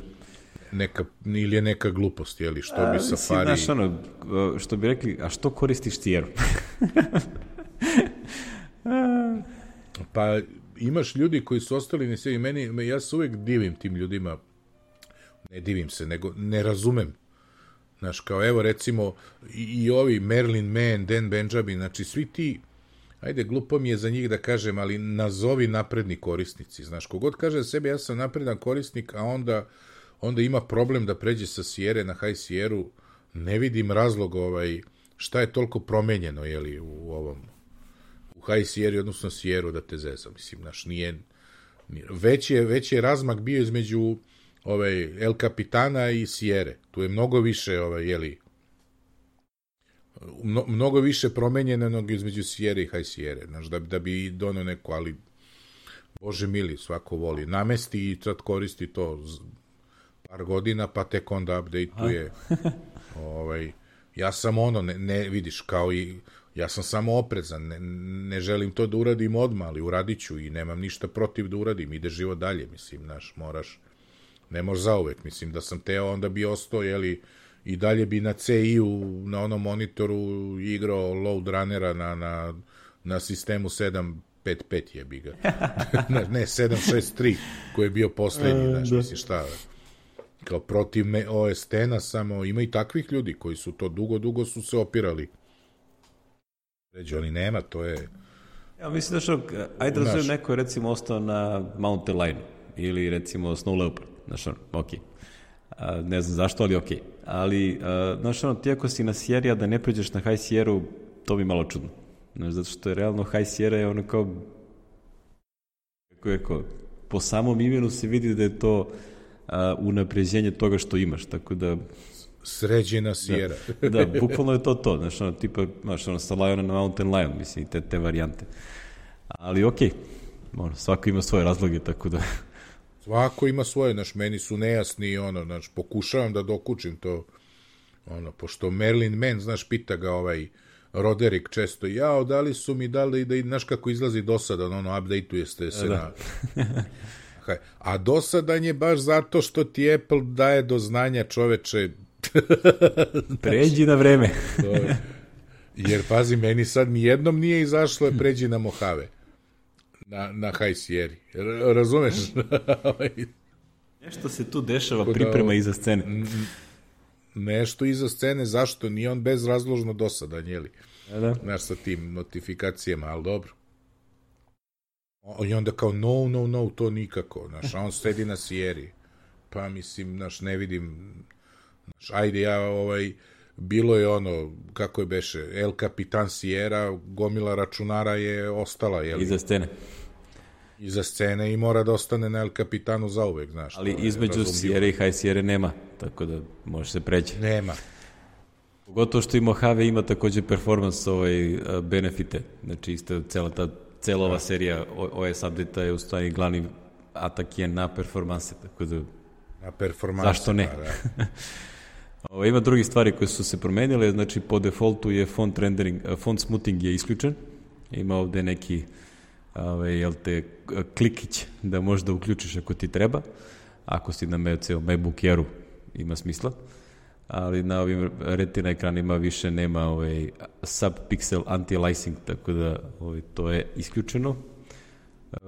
neka, ili je neka glupost, jeli, što a, bi Safari... Znaš, ono, što bi rekli, a što koristiš Sierra? Pa imaš ljudi koji su ostali ne sebi, meni, ja se uvek divim tim ljudima, ne divim se, nego ne razumem. Znaš, kao evo recimo i, i ovi Merlin Mann, Dan Benjamin, znači svi ti, ajde, glupo mi je za njih da kažem, ali nazovi napredni korisnici. Znaš, kogod kaže sebi ja sam napredan korisnik, a onda, onda ima problem da pređe sa Sierre na High Sierru, ne vidim razlog ovaj, šta je toliko promenjeno, jeli, u ovom u High Sierri, odnosno Sierru, da te zezam. Mislim, znaš, nije, nije već, je, već je razmak bio između ovaj, El Capitana i Sierre. Tu je mnogo više, ovaj, jeli, Mno, mnogo više promenjeno između Sierre i High Sierre, znaš, da, da bi donao neko, ali Bože mili, svako voli. Namesti i sad koristi to par godina, pa tek onda update-uje. ovaj, ja sam ono, ne, ne vidiš, kao i ja sam samo oprezan, ne, ne želim to da uradim odmah, ali uradit ću i nemam ništa protiv da uradim, ide život dalje, mislim, znaš, moraš, ne možeš zauvek, mislim, da sam teo, onda bi ostao, jeli, i dalje bi na C I-u, na onom monitoru igrao load runnera na, na, na sistemu sedam pet pet jebi ga. ne, sedam šest tri, koji je bio poslednji, znaš, mislim šta. Kao protiv O S X-a, samo ima i takvih ljudi koji su to dugo, dugo su se opirali. Ređe, oni nema, to je... Ja mislim da što, ajde da se neko je recimo ostao na Mountain Lion ili recimo Snow Leopard, znaš, okej. Okay. Ne znam zašto, ali okej. Okay. Ali, uh, znaš, ono, ti ako si na Sierra da ne pređeš na High Sierra, to bi malo čudno. Znaš, zato što je realno High Sierra je ono kao, kako je kao, po samom imenu se vidi da je to uh, unapređenje toga što imaš, tako da... Sređena Sierra. Da, da, bukvalno je to to, znaš, ono, tipa, znaš, ono, sa Liona na Mountain Lion, mislim, te, te varijante. Ali, okej, okay. Ono, svako ima svoje razloge, tako da... Svako ima svoje, znaš, meni su nejasni, ono, znaš, pokušavam da dokučim to, ono, pošto Merlin Mann, znaš, pita ga ovaj Roderick često, jao, da li su mi dali, da, znaš kako izlazi dosadan, ono, update-uje ste se da. na... A dosadan je baš zato što ti Apple daje do znanja, čoveče. Pređi na vreme. Jer, pazi, meni sad nijednom nije izašlo, pređi na Mojave. Na, na High Sierra. Razumeš? Nešto se tu dešava, priprema iza scene. Nešto iza scene, zašto? Nije on bezrazložno dosadan, jeli? Da. Znaš, sa tim notifikacijama, ali dobro. I onda kao, no, no, no, to nikako. Znaš, a on sedi na Sierri. Pa, mislim, znaš, ne vidim... Znaš, ajde, ja ovaj... bilo je ono, kako je beše, El Capitan Sierra, gomila računara je ostala, jel? Iza scene. Iza scene i mora da ostane na El Capitanu zauvek, znaš. Ali između Sierra i High Sierra nema, tako da može se preći. Nema. Pogotovo što i Mojave ima takođe performance ovaj, benefite, znači isto cela ta cela ova serija O S update-a je u stvari glavni atak je na performanse, tako da na performanse, zašto ne? Pa, da. Ovo, ima drugi stvari koje su se promenile, znači po defaultu je font rendering, font smoothing je isključen, ima ovde neki ovaj, jel te, klikić da možda uključiš ako ti treba, ako si na MacBook Airu ima smisla, ali na ovim retina ekranima više nema ovaj, subpixel anti-aliasing, tako da ovaj, to je isključeno.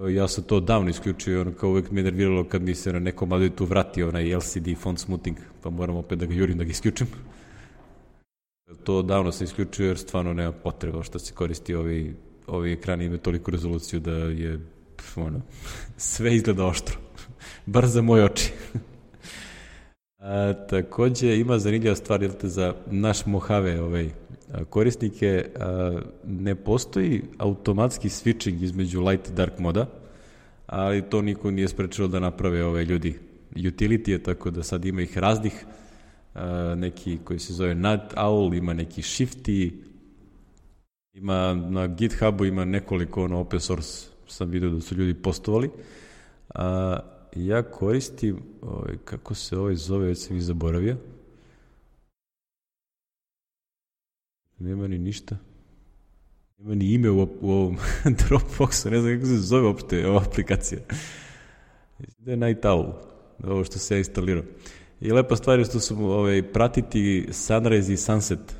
Ja sam to davno isključio i ono kao uvek me nerviralo kad mi se na nekom advitu vrati onaj L C D font smoothing, pa moram opet da ga jurim da ga isključim. To davno sam isključio jer stvarno nema potreba što se koristi ovi, ovi ekrani imaju toliku rezoluciju da je pf, ono, sve izgleda oštro. Bar za moje oči. A, takođe ima zanimljiva stvar jel te, za naš Mojave ovaj, korisnike, a, ne postoji automatski switching između light i dark moda, ali to niko nije sprečilo da naprave ove ljudi utility, tako da sad ima ih raznih, a, neki koji se zove Night Owl, ima neki Shifty, ima na GitHubu ima nekoliko ono, open source, sam vidio da su ljudi postovali, a ja koristim, ovaj, kako se ovaj zove, već sam i zaboravio. Nema ni ništa. Nema ni ime u, u ovom Dropboxu, ne znam kako se zove uopšte ova aplikacija. Da je Night Owl, ovo što se ja instalirao. I lepa stvar je što su ovaj, pratiti sunrise i sunset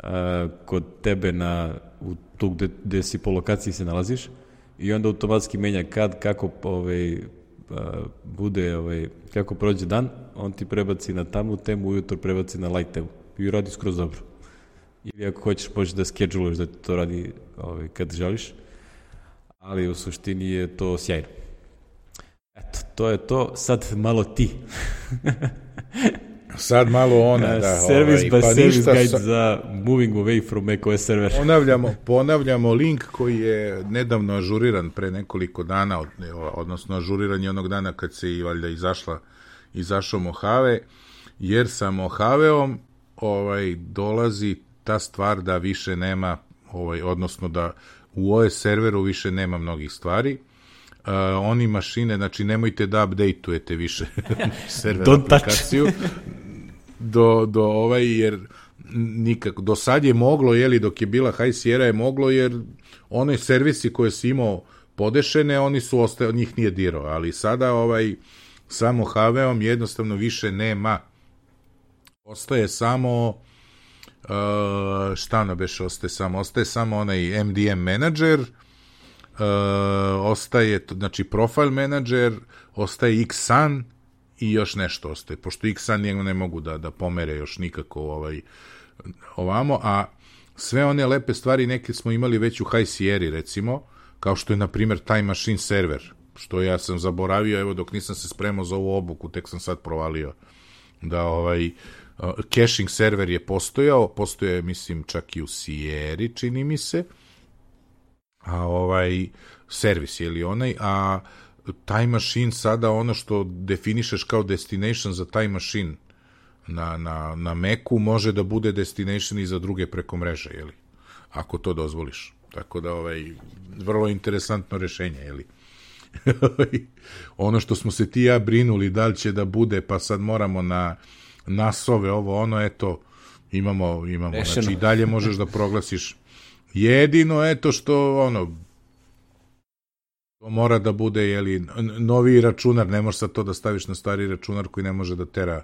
a, kod tebe na, u tu gde, gde si po lokaciji se nalaziš i onda automatski menja kad, kako ovaj, bude, ovaj, kako prođe dan, on ti prebaci na tamnu temu, ujutro prebaci na light temu i radi skroz dobro. Ili ako hoćeš, možeš da scheduluješ da ti to radi ovaj, kad želiš, ali u suštini je to sjajno. Eto, to je to. Sad malo ti. Sad malo ona, da. Service ovaj, by pa service guide sa... za moving away from macOS server. Ponavljamo, ponavljamo link koji je nedavno ažuriran pre nekoliko dana, od, odnosno ažuriran je onog dana kad se i valjda izašla, izašao Mojave, jer sa Mojaveom ovaj, dolazi ta stvar da više nema, ovaj, odnosno da u O S serveru više nema mnogih stvari. Uh, oni mašine, znači nemojte da updateujete više server Don't aplikaciju do, do ovaj, jer nikako, do sad je moglo, jeli, dok je bila High Sierra je moglo, jer one servisi koje si imao podešene, oni su ostaje, od njih nije dirao, ali sada ovaj, samo Mojaveom jednostavno više nema. Ostaje samo uh, šta na beše ostaje samo? Ostaje samo onaj M D M menadžer, Uh, ostaje, znači profile manager, ostaje Xsun i još nešto ostaje, pošto Xsun njega ne mogu da, da pomere još nikako ovaj, ovamo, a sve one lepe stvari neke smo imali već u High Sierra, recimo, kao što je na primjer Time Machine server, što ja sam zaboravio, evo dok nisam se spremao za ovu obuku, tek sam sad provalio da ovaj uh, caching server je postojao, postoje mislim čak i u Sierra, čini mi se, a ovaj servis je li onaj, a Time Machine sada ono što definišeš kao destination za Time Machine na, na, na Macu može da bude destination i za druge preko mreže, je li, ako to dozvoliš. Tako da ovaj vrlo interesantno rešenje, je li. Ono što smo se ti i ja brinuli da li će da bude, pa sad moramo na nasove ovo ono, eto imamo, imamo. Rešeno. Znači i dalje možeš da proglasiš. Jedino, eto što, ono, to mora da bude, jeli, novi računar, ne možeš sad to da staviš na stari računar koji ne može da tera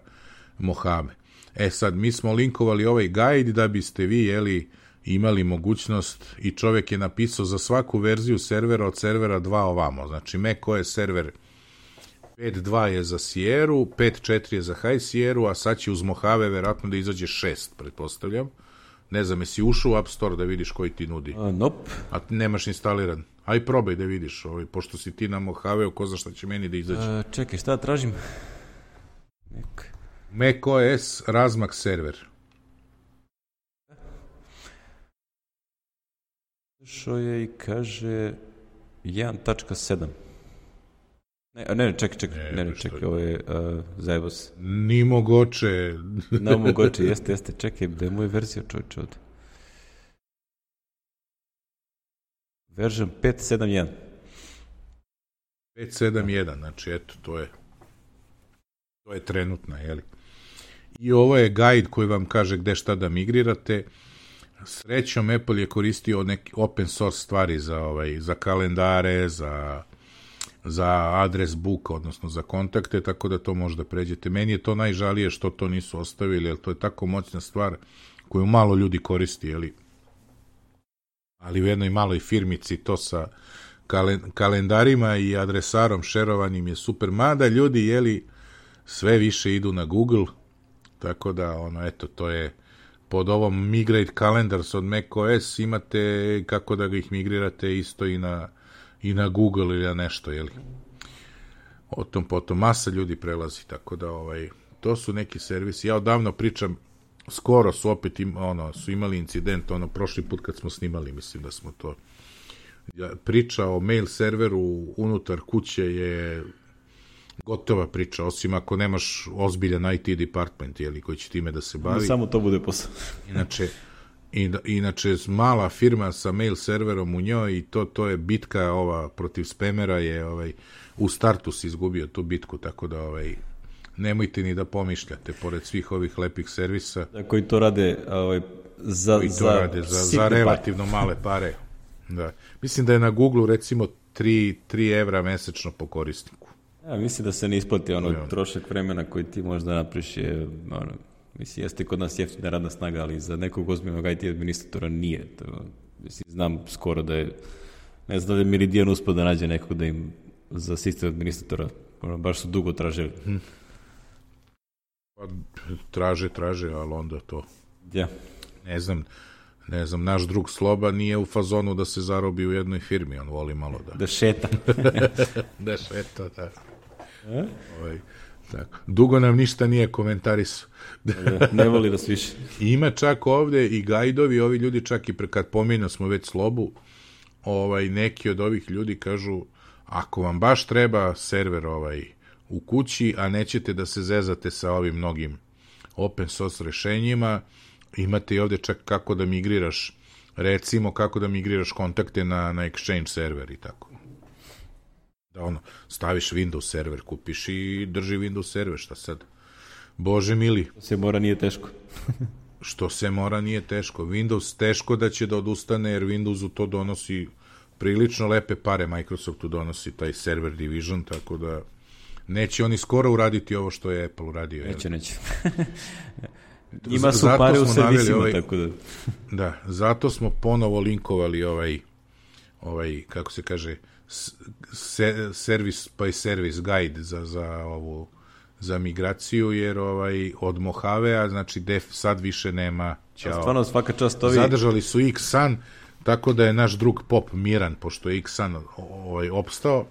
Mojave. E sad, mi smo linkovali ovaj guide da biste vi, jeli, imali mogućnost i čovjek je napisao za svaku verziju servera od servera dva ovamo. Znači, macOS server pet dva je za Sierru, pet četiri je za High Sierru, a sad će uz Mojave verovatno da izađe šest, pretpostavljam. Ne znam, jesi ušao u App Store da vidiš koji ti nudi? Uh, nope. A nemaš instaliran. Aj probaj da vidiš, ovaj, pošto si ti na Mojaveu, ko zna šta će meni da izađe. Uh, čekaj, šta tražim? Nek. macOS razmak server. Što je i kaže jedan tačka sedam. Ne, ne, ne, čekaj, čekaj, ne, ne, ne čekaj, ovo je uh, zajebo se. Ni mogoče. Ne mogoče, jeste, jeste, čekaj, da je moja verzija čovječe ovdje. Version pet sedam jedan. pet sedam jedan, znači eto, to je to je trenutna, jeli? I ovo je guide koji vam kaže gde šta da migrirate. Srećom, Apple je koristio neki open source stvari za, ovaj, za kalendare, za, za adres book, odnosno za kontakte, tako da to možda pređete. Meni je to najžalije što to nisu ostavili, jer to je tako moćna stvar koju malo ljudi koristi, jeli? Ali u jednoj maloj firmici to sa kalendarima i adresarom šerovanim je super. Mada ljudi, jeli, sve više idu na Google, tako da, ono, eto, to je pod ovom Migrate Calendars od macOS imate kako da ga ih migrirate isto i na, i na Google ili na nešto, jeli? O tom potom masa ljudi prelazi, tako da, ovaj, to su neki servisi. Ja odavno pričam, skoro su opet im, ono, su imali incident, ono, prošli put kad smo snimali, mislim da smo to, ja, priča o mail serveru unutar kuće je gotova priča, osim ako nemaš ozbiljan I T department, jeli, koji će time da se bavi. Samo to bude posao. Inače, in, inače, mala firma sa mail serverom u njoj i to, to je bitka ova protiv spamera je, ovaj, u startu si izgubio tu bitku, tako da, ovaj, nemojte ni da pomišljate, pored svih ovih lepih servisa. Da, koji to rade, ovaj, za, koji to za, rade za, za relativno pare. Male pare. Da. Mislim da je na Google recimo tri evra mesečno po korisniku. Ja, mislim da se ne isplati ono no, trošak vremena koji ti možda napriš je, ono, mislim, jeste kod nas jeftina radna snaga, ali za nekog ozbiljnog I T administratora nije. To, mislim, znam skoro da je, ne znam da je Meridian uspio da nađe nekog da im za sistem administratora, ono, baš su dugo tražili. Hmm. Pa, traže, traže, ali onda to... Ja. Ne znam, ne znam, naš drug Sloba nije u fazonu da se zarobi u jednoj firmi, on voli malo da... Da šeta. da šeta, da. E? Ovaj, tako. Dugo nam ništa nije komentarisao. da, ne voli da sviše. Ima čak ovde i gajdovi, ovi ljudi čak i pre, kad pominjamo smo već Slobu, ovaj, neki od ovih ljudi kažu, ako vam baš treba server ovaj u kući, a nećete da se zezate sa ovim mnogim open source rešenjima, imate i ovde čak kako da migriraš, recimo kako da migriraš kontakte na, na Exchange server i tako. Da ono, staviš Windows server, kupiš i drži Windows server, šta sad? Bože mili. Što se mora nije teško. Što se mora nije teško. Windows teško da će da odustane, jer Windowsu to donosi prilično lepe pare, Microsoftu donosi taj server division, tako da neće oni skoro uraditi ovo što je Apple uradio. Neće, neće. Ima su pare u servisima, ovaj, tako da... da, zato smo ponovo linkovali ovaj, ovaj kako se kaže, se, servis by service guide za, za ovu, za migraciju, jer ovaj, od Mojavea, znači def sad više nema, ćao. Stvarno, svaka čast ovi... Zadržali su X-Sun, tako da je naš drug Pop miran, pošto je X-Sun ovaj, opstao,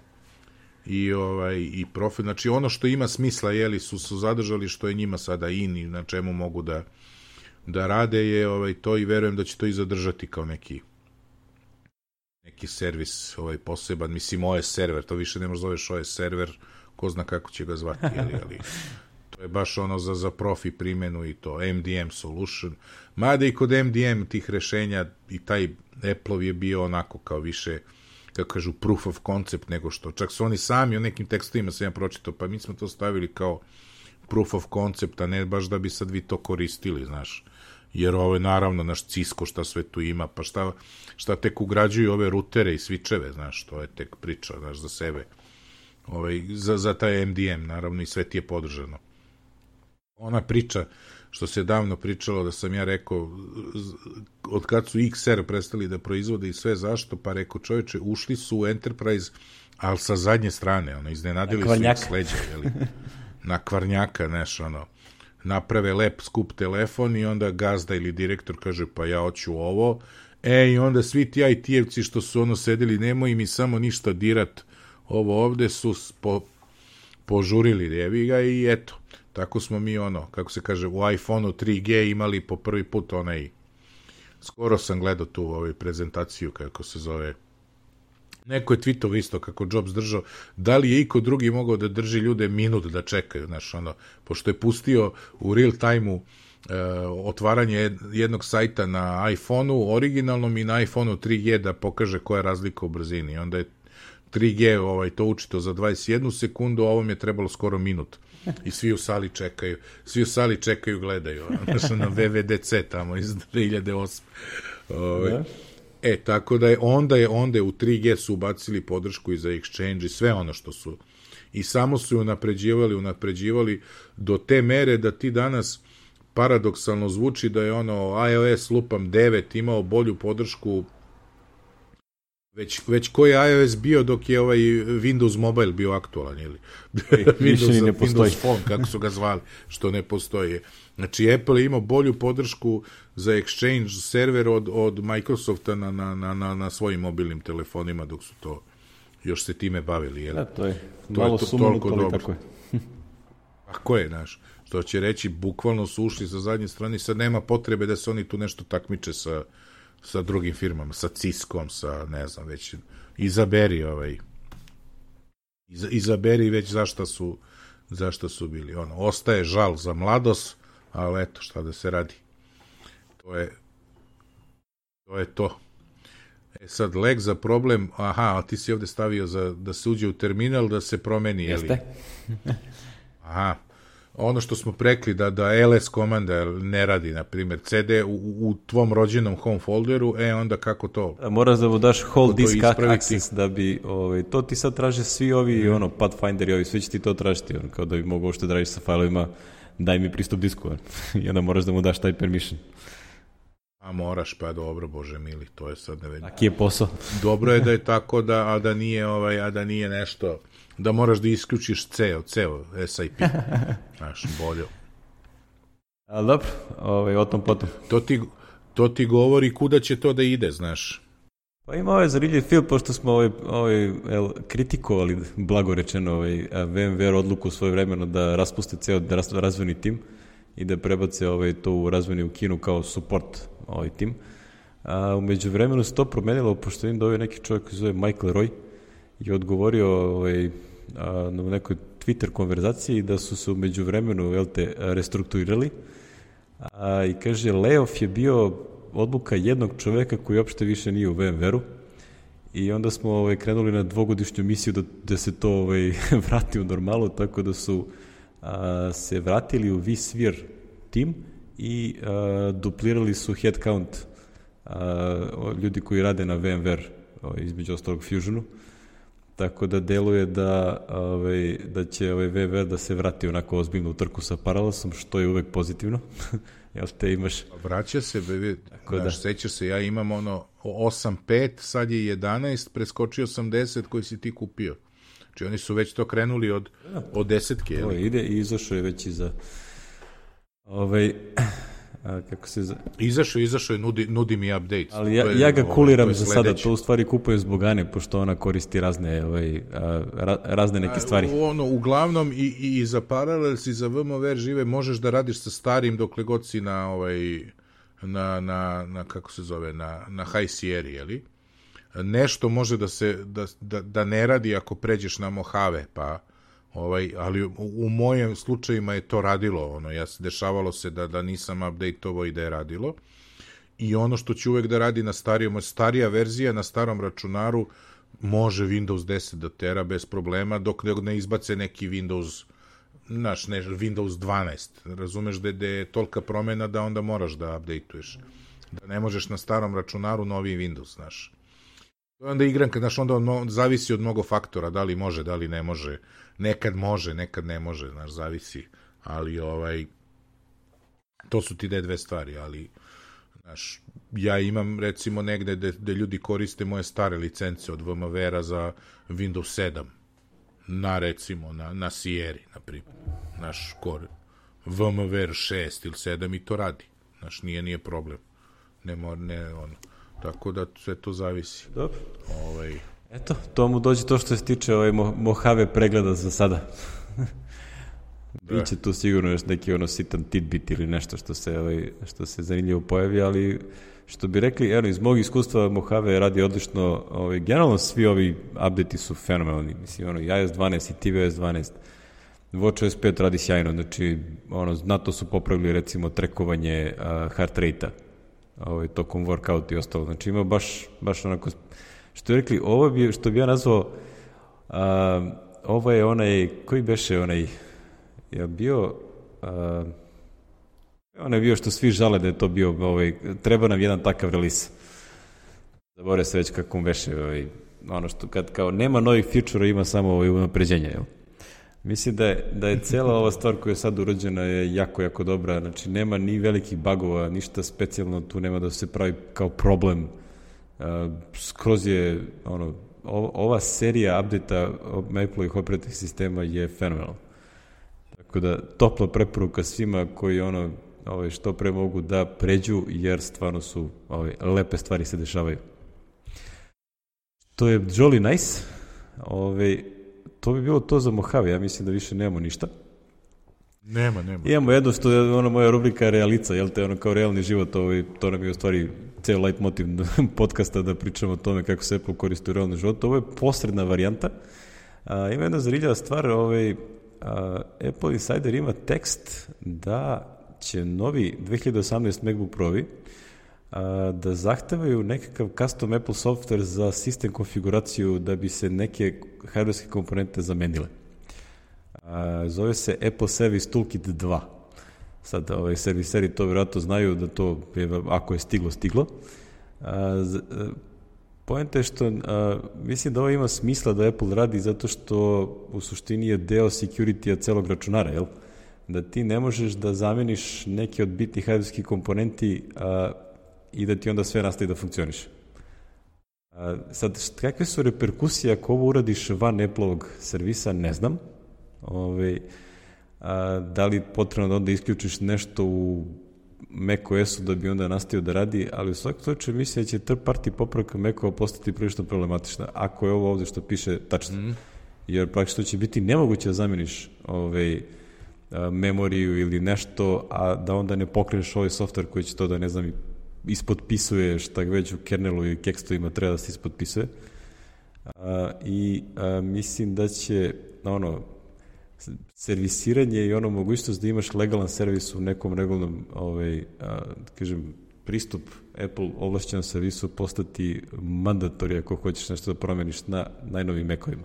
i ovaj i profil, znači ono što ima smisla, jeli, su su zadržali, što je njima sada in i na čemu mogu da da rade je ovaj to, i verujem da će to i zadržati kao neki neki servis ovaj poseban, mislim O S server, to više ne možeš zoveš O S server, ko zna kako će ga zvati, jeli, ali to je baš ono za, za profi primenu i to, M D M solution, mada i kod M D M tih rešenja i taj Apple je bio onako kao više, kako kažu, proof of concept, nego što, čak su oni sami u nekim tekstovima sam ja pročitao, pa mi smo to stavili kao proof of concept, a ne baš da bi sad vi to koristili, znaš, jer ovo je naravno naš Cisco, šta sve tu ima, pa šta, šta tek ugrađuju ove rutere i switcheve, znaš, to je tek priča, znaš, za sebe, ovaj, za, za taj M D M, naravno, i sve ti je podržano. Ona priča, što se davno pričalo, da sam ja rekao, od kad su X R prestali da proizvode i sve, zašto, pa rekao, čovječe, ušli su u Enterprise, ali sa zadnje strane, ono, iznenadili su ih sleđa, jeli, na kvarnjaka, neš, ono, naprave lep, skup telefon i onda gazda ili direktor kaže, pa ja hoću ovo, e, i onda svi ti I T-evci što su ono sedeli, nemoj mi samo ništa dirat, ovo ovde su po, požurili jevi ga i eto, tako smo mi ono, kako se kaže, u iPhoneu tri G imali po prvi put onaj skoro sam gledao tu ovaj, prezentaciju, kako se zove, neko je tweetao isto kako Jobs držao, da li je iko drugi mogao da drži ljude minut da čekaju, znaš, ono, pošto je pustio u real time-u e, otvaranje jednog sajta na iPhone-u, originalnom i na iPhone-u tri G da pokaže koja je razlika u brzini. Onda je tri G ovaj, to učito za dvadeset jednu sekundu, a ovom je trebalo skoro minut. I svi u sali čekaju, svi u sali čekaju, gledaju, znaš, na V V D C tamo iz dve hiljade osme. Ovaj. Da. E, tako da je onda je onda je u tri G su ubacili podršku i za Exchange i sve ono što su. I samo su unapređivali, unapređivali do te mere da ti danas paradoksalno zvuči da je ono iOS lupam devet imao bolju podršku već, već koji je iOS bio dok je ovaj Windows Mobile bio aktualan ili Windows, ne Windows Phone, kako su ga zvali, što ne postoji. Znači, Apple je imao bolju podršku za Exchange server od, od Microsofta na, na, na, na, na svojim mobilnim telefonima, dok su to još se time bavili. Jel? Da, to je to malo sumnuto, ali tako je. Tako je, znaš. Što će reći, bukvalno su ušli sa zadnje strane, sad nema potrebe da se oni tu nešto takmiče sa, sa drugim firmama, sa Ciskom, sa, ne znam, već izaberi ovaj, iz, izaberi već zašta su, zašta su bili. Ono, ostaje žal za mladost, ali eto, šta da se radi. To je to je to. E sad, lek za problem, aha, a ti si ovde stavio za, da se uđe u terminal, da se promeni, jeli? Jeste. Aha. Ono što smo prekli, da, da L S komanda ne radi, na primjer, C D u, u tvom rođenom home folderu, e, onda kako to? Moraš da mu daš hold disk access, da bi, ovaj, to ti sad traže svi ovi, mm. ono, Pathfinder i ovi, svi će ti to tražiti, ono, kao da bi mogo što da radiš sa failovima, daj mi pristup disku, i onda moraš da mu daš taj permission. A moraš, pa dobro, bože mili, to je sad ne vidim. Taki je posao. Dobro je da je tako, da, a da nije, ovaj, a da nije nešto, da moraš da isključiš ceo, ceo S I P, znaš, bolje. A dobro, ovaj, o tom potom. To ti, to ti govori kuda će to da ide, znaš. Pa ima ovaj zanimljiv film, pošto smo ovaj, ovaj, el, kritikovali, blago rečeno, ovaj, VMware odluku svoje vremeno da raspuste ceo razvojni tim i da prebace ovaj, to u razvojni u Kinu kao support ovaj tim. A, umeđu vremenu se to promenilo, pošto im doveo neki čovjek koji zove Michael Roy i odgovorio ovaj, a, na nekoj Twitter konverzaciji da su se umeđu vremenu jel te, restrukturirali a, i kaže, layoff je bio odluka jednog čoveka koji uopšte više nije u VMware-u i onda smo ovaj, krenuli na dvogodišnju misiju da, da se to ovaj, vrati u normalu, tako da su a, se vratili u vSphere tim i a, duplirali su headcount a, ljudi koji rade na VMware, ovaj, između ostalog Fusionu, tako da deluje da, ovaj, da će ovaj VMware da se vrati onako ozbiljno u trku sa Parallelosom, što je uvek pozitivno. Jel te imaš? Vraća se, bebe, daš, da. Sećaš se, ja imam ono osam pet, sad je jedanaest, preskočio sam deset koji si ti kupio. Znači oni su već to krenuli od, od desetke. Jel? Ovo ide i izašao je već i za ovaj, a, kako se... Za... Izašao, izašao je, nudi, nudi mi update. Ali ja, je, ja ga kuliram ovaj, za sada, to u stvari kupujem zbog Ane, pošto ona koristi razne, ovaj, a, razne neke stvari. A, ono, uglavnom i, i, i za Parallels i za VMware žive možeš da radiš sa starim dokle god si na, ovaj, na, na, na kako se zove, na, na High Sierra, jeli? Nešto može da se, da, da, da ne radi ako pređeš na Mojave, pa ovaj, ali u, u mojim slučajima je to radilo, ono, ja se dešavalo se da, da nisam update-ovo i da je radilo. I ono što će uvek da radi na starijom, starija verzija na starom računaru može Windows deset da tera bez problema, dok ne izbace neki Windows, znaš, ne, Windows dvanaest. Razumeš da, da je tolika promena da onda moraš da update-uješ. Da ne možeš na starom računaru novi Windows, znaš. Onda igranka, znaš, onda on zavisi od mnogo faktora, da li može, da li ne može. Nekad može, nekad ne može, znaš, zavisi. Ali, ovaj, to su ti de dve stvari, ali, znaš, ja imam, recimo, negde gde, gde ljudi koriste moje stare licence od VMware-a za Windows sedam. Na, recimo, na, na Sierra, na primjer. Naš core VMware šest ili sedam i to radi. Znaš, nije, nije problem. Ne mora, ne, ono. Tako da sve to zavisi. Dobro. Ovaj... Eto, to mu dođe to što se tiče ovaj Mojave pregleda za sada. biće tu sigurno još neki ono sitan tidbit ili nešto što se, ovaj, što se zanimljivo pojavi, ali što bi rekli, evo, iz mog iskustva Mojave radi odlično, ovaj, generalno svi ovi update-i su fenomenalni, mislim, ono, i i o es dvanaest i T V O S dvanaest, WatchOS pet radi sjajno, znači, ono, znatno su popravili, recimo, trekovanje uh, heart rate-a, ovaj, tokom workout i ostalo, znači, ima baš, baš onako, što bi rekli, ovo bi, što bi ja nazvao, uh, ovo je onaj, koji beše onaj, je bio, uh, on je bio što svi žale da je to bio, ovaj, treba nam jedan takav release. Zabore se već kako veše, ovaj, ono što kad kao nema novih feature-a, ima samo ovaj unapređenje, jel? Mislim da je, da je cela ova stvar koja je sad urađena je jako, jako dobra, znači nema ni velikih bugova, ništa specijalno tu nema da se pravi kao problem. Uh, skroz je, ono, ova serija update-a Apple-ovih operativnih sistema je fenomenalna. Tako da, topla preporuka svima koji ono, ovaj, što pre mogu da pređu, jer stvarno su ovaj, lepe stvari se dešavaju. To je jolly nice. Ovaj, to bi bilo to za Mojave, ja mislim da više nemamo ništa. Nema, nema. Imamo jedno što je ono moja rubrika Realica, jel te, ono kao realni život, ovaj, to nam je u stvari ceo light motiv podcasta da pričamo o tome kako se Apple koristi u realnom životu. Ovo je posredna varijanta. A, ima jedna zanimljiva stvar, ovaj, a, Apple Insider ima tekst da će novi dve hiljade osamnaest MacBook Pro-vi da zahtevaju nekakav custom Apple software za sistem konfiguraciju da bi se neke hardwareske komponente zamenile. A, zove se Apple Service Toolkit dva. Sad, ovaj, serviseri to vjerojatno znaju da to, je, ako je stiglo, stiglo. A, z, a, Poenta je što a, mislim da ovo ima smisla da Apple radi zato što u suštini je deo security-a celog računara, jel? Da ti ne možeš da zameniš neke od bitnih hardwareskih komponenti a, i da ti onda sve nastavi da funkcioniše. A, sad, št, kakve su reperkusije ako ovo uradiš van Apple-ovog servisa, ne znam. Ove, a, da li potrebno da onda isključiš nešto u macOS-u da bi onda nastavio da radi, ali u svakom slučaju mislim da će third party popravka Mac-ova postati prilično problematična, ako je ovo ovde što piše tačno. Mm. Jer praktično će biti nemoguće da zameniš ovaj, memoriju ili nešto, a da onda ne pokreneš ovaj software koji će to da, ne znam, ispotpisuje šta već u kernelu i kekstovima treba da se ispotpisuje. A, I a, mislim da će ono, servisiranje i ono mogućnost da imaš legalan servis u nekom regularnom ovaj, a, kažem, pristup Apple ovlašćenom servisu postati mandatori ako hoćeš nešto da promeniš na najnovijim Mac-ovima.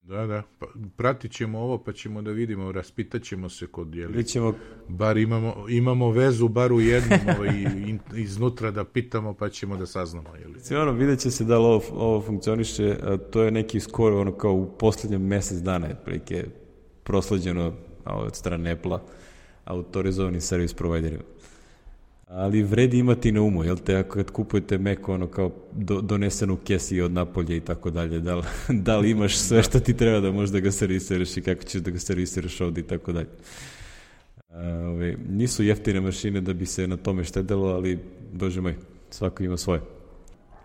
Da, da, pa, pratit ćemo ovo pa ćemo da vidimo, raspitat ćemo se kod, jeli, ćemo... bar imamo, imamo vezu, bar u jednom i in, iznutra da pitamo pa ćemo da saznamo. Jeli. Sve ono, vidjet će se da li ovo, ovo funkcioniše, a to je neki skoro ono kao u posljednjem mesec dana je prilike prosleđeno od strane Apple-a autorizovanim servis providerima. Ali vredi imati na umu, jel te, ako kad kupujete Mac ono kao do, donesenu kesi od napolje i tako dalje, da li, da li imaš sve što ti treba da možda ga servisiraš i kako ćeš da ga servisiraš ovde i tako dalje. Ove, nisu jeftine mašine da bi se na tome štedelo, ali bože moj, svako ima svoje.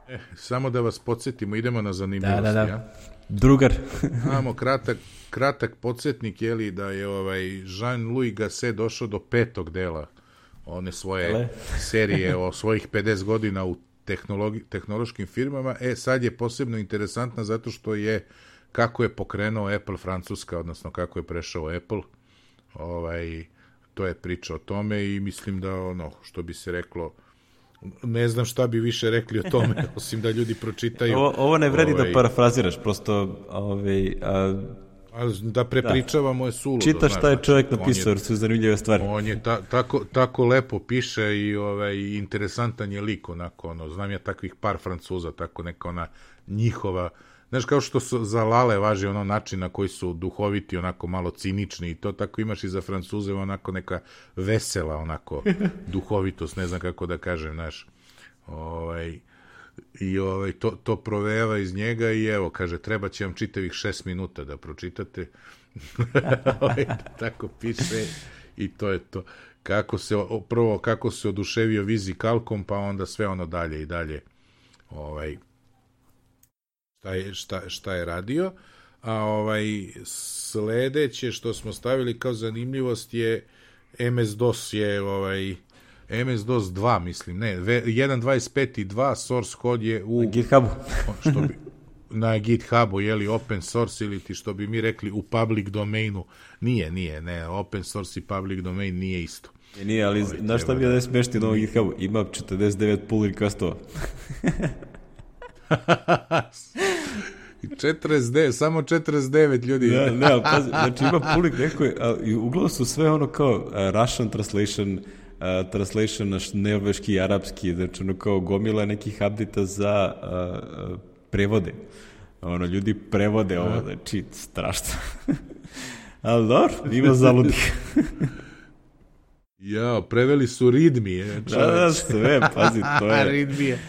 E, samo da vas podsjetimo, idemo na zanimljivosti. Da, da, da. Ja? Drugar. Imamo kratak, kratak podsjetnik, jeli, da je ovaj Jean-Louis Gasset došao do petog dela one svoje Ale. serije o svojih pedeset godina u tehnološkim firmama. E, sad je posebno interesantna zato što je kako je pokrenuo Apple Francuska, odnosno kako je prešao Apple. Ovaj, to je priča o tome i mislim da ono, što bi se reklo, ne znam šta bi više rekli o tome, osim da ljudi pročitaju. Ovo, ovo ne vredi ovaj, da parafraziraš, prosto ovaj, a... da prepričavamo je suludo. Čita šta je čovjek napisao, jer su zanimljive stvari. On je ta, tako, tako lepo piše i ovaj, interesantan je lik, onako, ono, znam ja takvih par Francuza, tako neka ona njihova, znaš, kao što su za Lale važi ono način na koji su duhoviti, onako malo cinični i to, tako imaš i za Francuze onako neka vesela, onako, duhovitost, ne znam kako da kažem, znaš, ovaj... i ovaj, to, to provejava iz njega i evo, kaže, treba će vam čitavih šest minuta da pročitate. Tako piše i to je to. Kako se, prvo, kako se oduševio vizikalkom, pa onda sve ono dalje i dalje ovaj, šta, je, šta, šta je radio. a ovaj sledeće što smo stavili kao zanimljivost je em es dos je ovaj em es dos dva, mislim, ne, jedan dvadeset pet i dva source code je u na GitHubu. što bi na GitHubu, jeli open source ili ti što bi mi rekli u public domainu. Nije, nije, ne, open source i public domain nije isto. Je, nije, ali ovaj, znaš šta mi je da je smešti na ovom GitHubu? Ima četrdeset devet pull requestova. četrdeset devet, samo četrdeset devet ljudi. Ne, ne, ali pazi, znači ima pull request, i uglavnom su sve ono kao uh, Russian translation, uh, translation na norveški i arapski, znači ono kao gomila nekih update-a za uh, uh, prevode. Ono, ljudi prevode ovo, znači, strašno. Ali dobro, ima zaludih. Jao, preveli su ridmi. Da, da, sve, pazi, to je ridmije.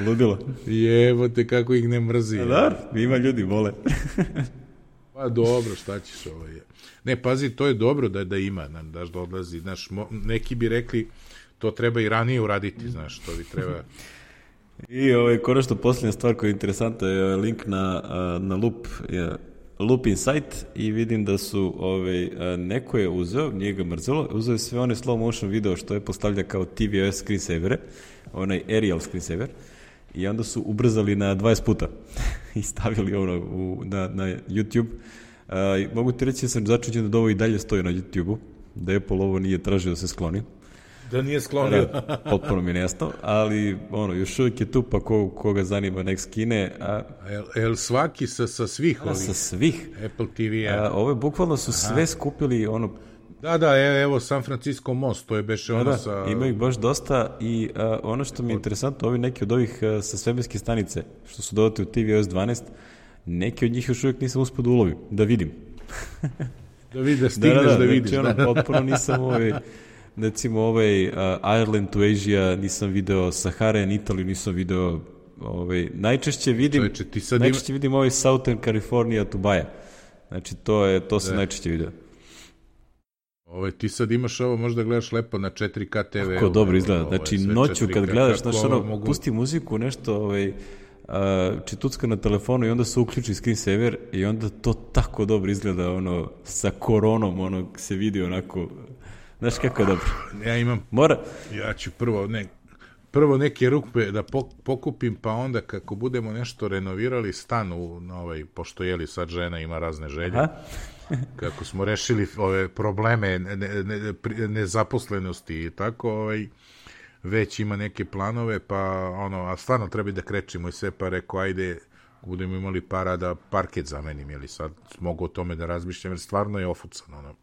Ludilo. Jevo te kako ih ne mrzi. Da, ima ljudi, vole. Pa dobro, šta ćeš ovo je. Ne, pazi, to je dobro da da ima, daš da odlazi. Znaš, neki bi rekli, to treba i ranije uraditi, znaš, to bi treba... I ovaj, konačno posljednja stvar koja je interesantna je link na, na Loop, je Loop Insight i vidim da su, ovaj, neko je uzeo, nije ga mrzelo, uzeo je sve one slow motion video što je postavlja kao T V O S screensavere, onaj aerial screensaver, i onda su ubrzali na dvadeset puta i stavili ono u, na, na YouTube. Uh, mogu ti reći da sam začuđen da ovo i dalje stoji na YouTube-u, da Apple ovo nije tražio da se skloni. Da nije sklonio. Da, potpuno mi nesno, ali ono, još uvijek je tu, pa ko, koga zanima nek skine. A, el, el svaki sa, sa svih ovih? Sa svih. Apple T V-a. Ove bukvalno su Aha. sve skupili, ono... Da, da, evo San Francisco most, to je beše ono da, sa... Ima ih baš dosta i a, ono što mi je interesantno, ovi neki od ovih a, sa svemirske stanice, što su dodati u T V O S dvanaest, neki od njih još uvijek nisam uspio da ulovim, da vidim. Da vidim, da stigneš da, da, da vidiš. Znači, ono, potpuno nisam ovaj... Recimo ovaj uh, Ireland to Asia nisam video, Sahara and Italy nisam video, ovaj, najčešće vidim, Čovječe, ti sad najčešće ima... vidim ovaj Southern California to Baja. Znači to je, to sam najčešće video. Ovaj, ti sad imaš ovo, možda gledaš lepo na četiri K te ve. Kako dobro izgleda, znači noću kad gledaš, znaš ono, mogu... pusti muziku, nešto, ovaj, uh, čitucka na telefonu i onda se uključi screensaver i onda to tako dobro izgleda, ono, sa koronom, ono, se vidi onako... Znaš kako je dobro? Ja imam... Mora... Ja ću prvo, ne, prvo neke rupe da pokupim, pa onda kako budemo nešto renovirali stan u, na ovaj, pošto jeli sad žena ima razne želje, Aha. kako smo rešili ove probleme ne, ne, nezaposlenosti i tako, ovaj, već ima neke planove, pa ono, a stvarno treba da krećemo i sve, pa rekao, ajde, budemo imali para da parket zamenim, jeli sad mogu o tome da razmišljam, jer stvarno je ofucan, ono.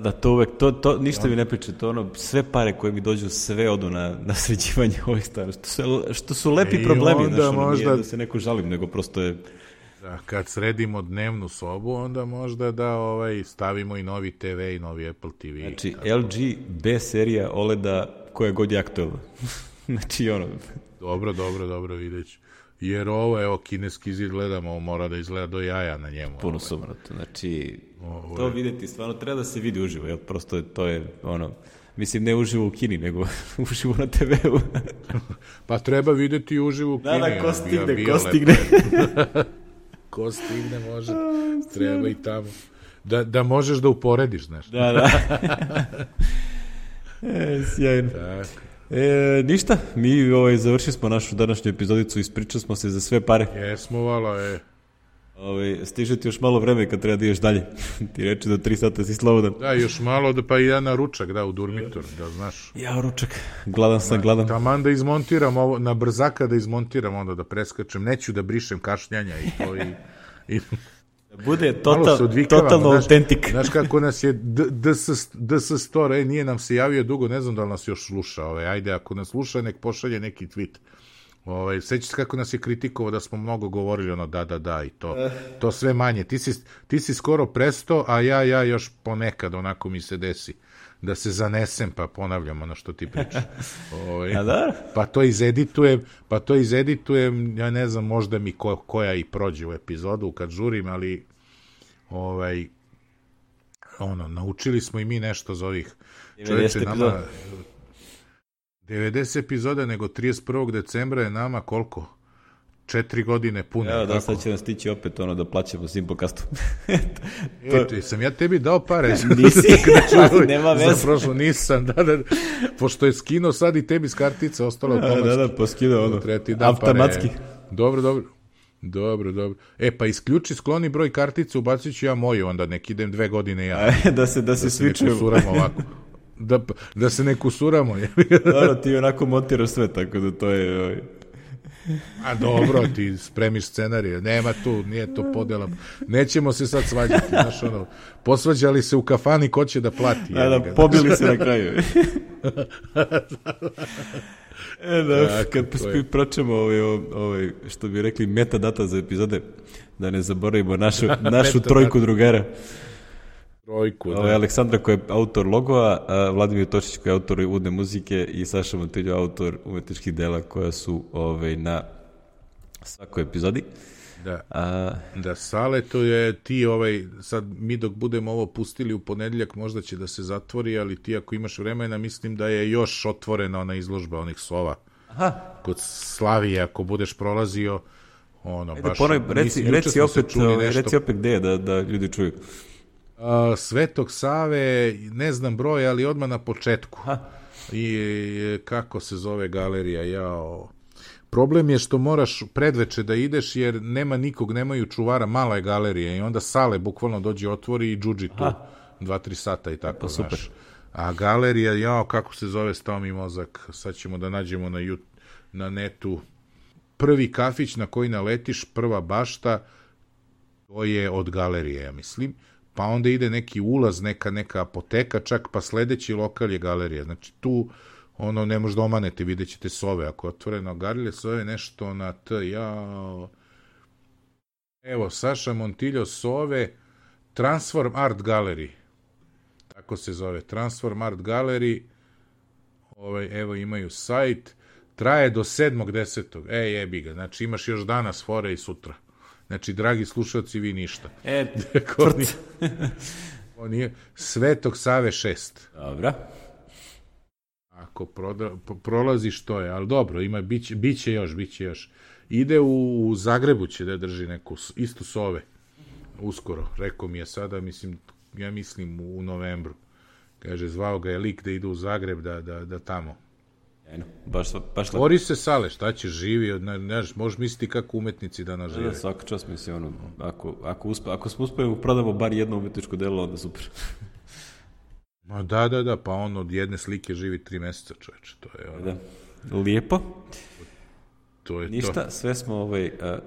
Da, to uvek, to, to ništa mi ne priče, to ono, sve pare koje mi dođu, sve odu na, na sređivanje ovih stvari, što su, što su lepi I problemi, znaš, ono, možda... nije da se neko žalim, nego prosto je... Da, kad sredimo dnevnu sobu, onda možda da ovaj, stavimo i novi te ve i novi Apple te ve. Znači, tako. L G B serija O L E D-a koja god je aktuelna. Znači, ono... Dobro, dobro, dobro, videću. Jer ovo, evo, kineski zid gledamo, mora da izgleda do jaja na njemu. Puno sumrato, znači, ovo to je... vidjeti stvarno treba da se vidi uživo, jer prosto to je, ono, mislim, ne uživo u Kini, nego uživo na te veu. Pa treba videti uživo u Kini. Da, da, ko stigne, ko stigne. Ko stigne, može, treba i tamo. Da, da možeš da uporediš, znaš. Da, da. E, sjajno. Tako. E, ništa, mi ovaj, završili smo našu današnju epizodicu, ispričali smo se za sve pare. Jesmo, vala, e. Ovaj, stiže ti još malo vreme kad treba da ideš dalje. Ti reči do tri sata si slobodan. Da, još malo, da pa i ja na ručak, da, u Durmitor, da znaš. Ja ručak, gladan sam, gladan. Taman da izmontiram ovo, na brzaka da izmontiram, onda da preskačem, neću da brišem kašnjanja i to i... i... Bude total, totalno autentik. Znaš kako nas je D S Store, e, nije nam se javio dugo, ne znam da li nas još sluša. Ove, ajde, ako nas sluša, nek pošalje neki tweet. Ove, sećaš se kako nas je kritikovao da smo mnogo govorili ono da, da, da i to. To sve manje. Ti si, ti si skoro presto, a ja, ja još ponekad onako mi se desi. Da se zanesem, pa ponavljam ono što ti pričaš. Ove, pa to izeditujem, pa to izeditujem, ja ne znam, možda mi ko, koja i prođe u epizodu kad žurim, ali ovaj, ono, naučili smo i mi nešto za ovih čovječe nama... devedeset epizoda, nego trideset prvog decembra je nama koliko? četiri godine pune. Evo da, sad će nam stići opet ono da plaćamo Simplecastu. to... E, sam ja tebi dao pare. Nisi, nema veze. Za prošlo nisam, da, da, pošto je skinuo sad i tebi s kartice, ostalo automatski. Da, da, poskidao ono, da automatski. Pare. Dobro, dobro. Dobro, dobro. E, pa isključi, skloni broj kartice, ubacit ću ja moju, onda nek idem dve godine ja. da se, da se, da se ne kusuramo ovako. Da, da se ne kusuramo. Dobro, ti onako montiraš sve, tako da to je... A dobro, ti spremiš scenarije. Nema tu, nije to podela. Nećemo se sad svađati. Znaš, ono, posvađali se u kafani, ko će da plati. Da, da, pobili se na kraju. E, da, kad pročemo ovaj, ovaj, što bi rekli, metadata za epizode, da ne zaboravimo našu, našu trojku drugara. Trojku, da. Ovaj, Aleksandra koja je autor logova, a Vladimir Tošić koji je autor uvodne muzike i Saša Montiljo autor umetničkih dela koja su ovaj, na svakoj epizodi. Da, a... da Sale, to je ti ovaj, sad mi dok budemo ovo pustili u ponedjeljak možda će da se zatvori, ali ti ako imaš vremena mislim da je još otvorena ona izložba onih sova. Aha. Kod Slavije, ako budeš prolazio, ono, Ajde, baš... Ponoj, reci, mislim, reci, opet, nešto... reci opet gde je da, da ljudi čuju. Uh, Svetog Save, ne znam broj, ali odmah na početku. Aha. I kako se zove galerija, jao... Problem je što moraš predveče da ideš jer nema nikog, nemaju čuvara, mala je galerija i onda Sale bukvalno dođe, otvori i džudži tu dva, tri sata i tako, super. Znaš. A galerija, jao, kako se zove, stao mi mozak, sad ćemo da nađemo na, jut, na netu. Prvi kafić na koji naletiš, prva bašta, to je od galerije, ja mislim. Pa onda ide neki ulaz, neka, neka apoteka, čak pa sledeći lokal je galerija. Znači tu... ono, ne možda omanete, vidjet ćete sove, ako je otvoreno galerije, sove nešto na T, jao, evo, Saša Montiljo sove, Transform Art Gallery, tako se zove, Transform Art Gallery, ovaj, evo, imaju sajt, traje do sedmog desetog Ej, jebi ga, znači imaš još danas fore i sutra, znači, dragi slušalci, vi ništa. E, tvrd. On je Svetog Save šest. Dobra. Ako proda, prolaziš to je, ali dobro, ima, biće, biće još, biće još. Ide u, u Zagrebu će da drži neku, isto sove, uskoro, rekao mi je sada, mislim, ja mislim u novembru. Kaže, zvao ga je lik da ide u Zagreb, da, da, da tamo. Eno, baš, baš Tvori se Sale, šta će živi, od, ne, ne, možeš misliti kako umetnici danas žive. Da, svaka čast mislim, ono, ako, ako, uspe, ako smo uspeli prodamo bar jedno umetničko delo, onda super. Ma da, da, da, pa on od jedne slike živi tri meseca, čoveče, to je ono. Da. Lijepo. To je Ništa, to. sve smo ovaj, a,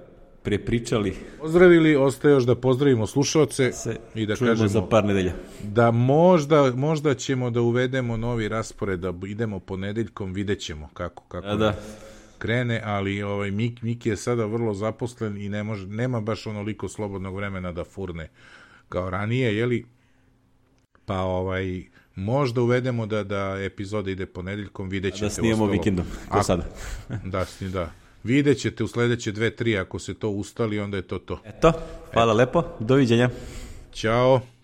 prepričali. Pozdravili, ostaje još da pozdravimo slušalce i da kažemo za par nedelja. Da možda, možda ćemo da uvedemo novi raspored, da idemo ponedeljkom, vidjet ćemo kako, kako da, da. krene, ali ovaj, Mik, Miki je sada vrlo zaposlen i ne može, nema baš onoliko slobodnog vremena da furne kao ranije, jeli? Pa ovaj, možda uvedemo da, da epizoda ide ponedeljkom, vidjet ćete. Da snijemo ostalo. Vikendom, ko sada. da, sni, da. Vidjet ćete u sledeće dve, tri, ako se to ustali, onda je to to. Eto, hvala e. lepo, doviđenja. Ćao.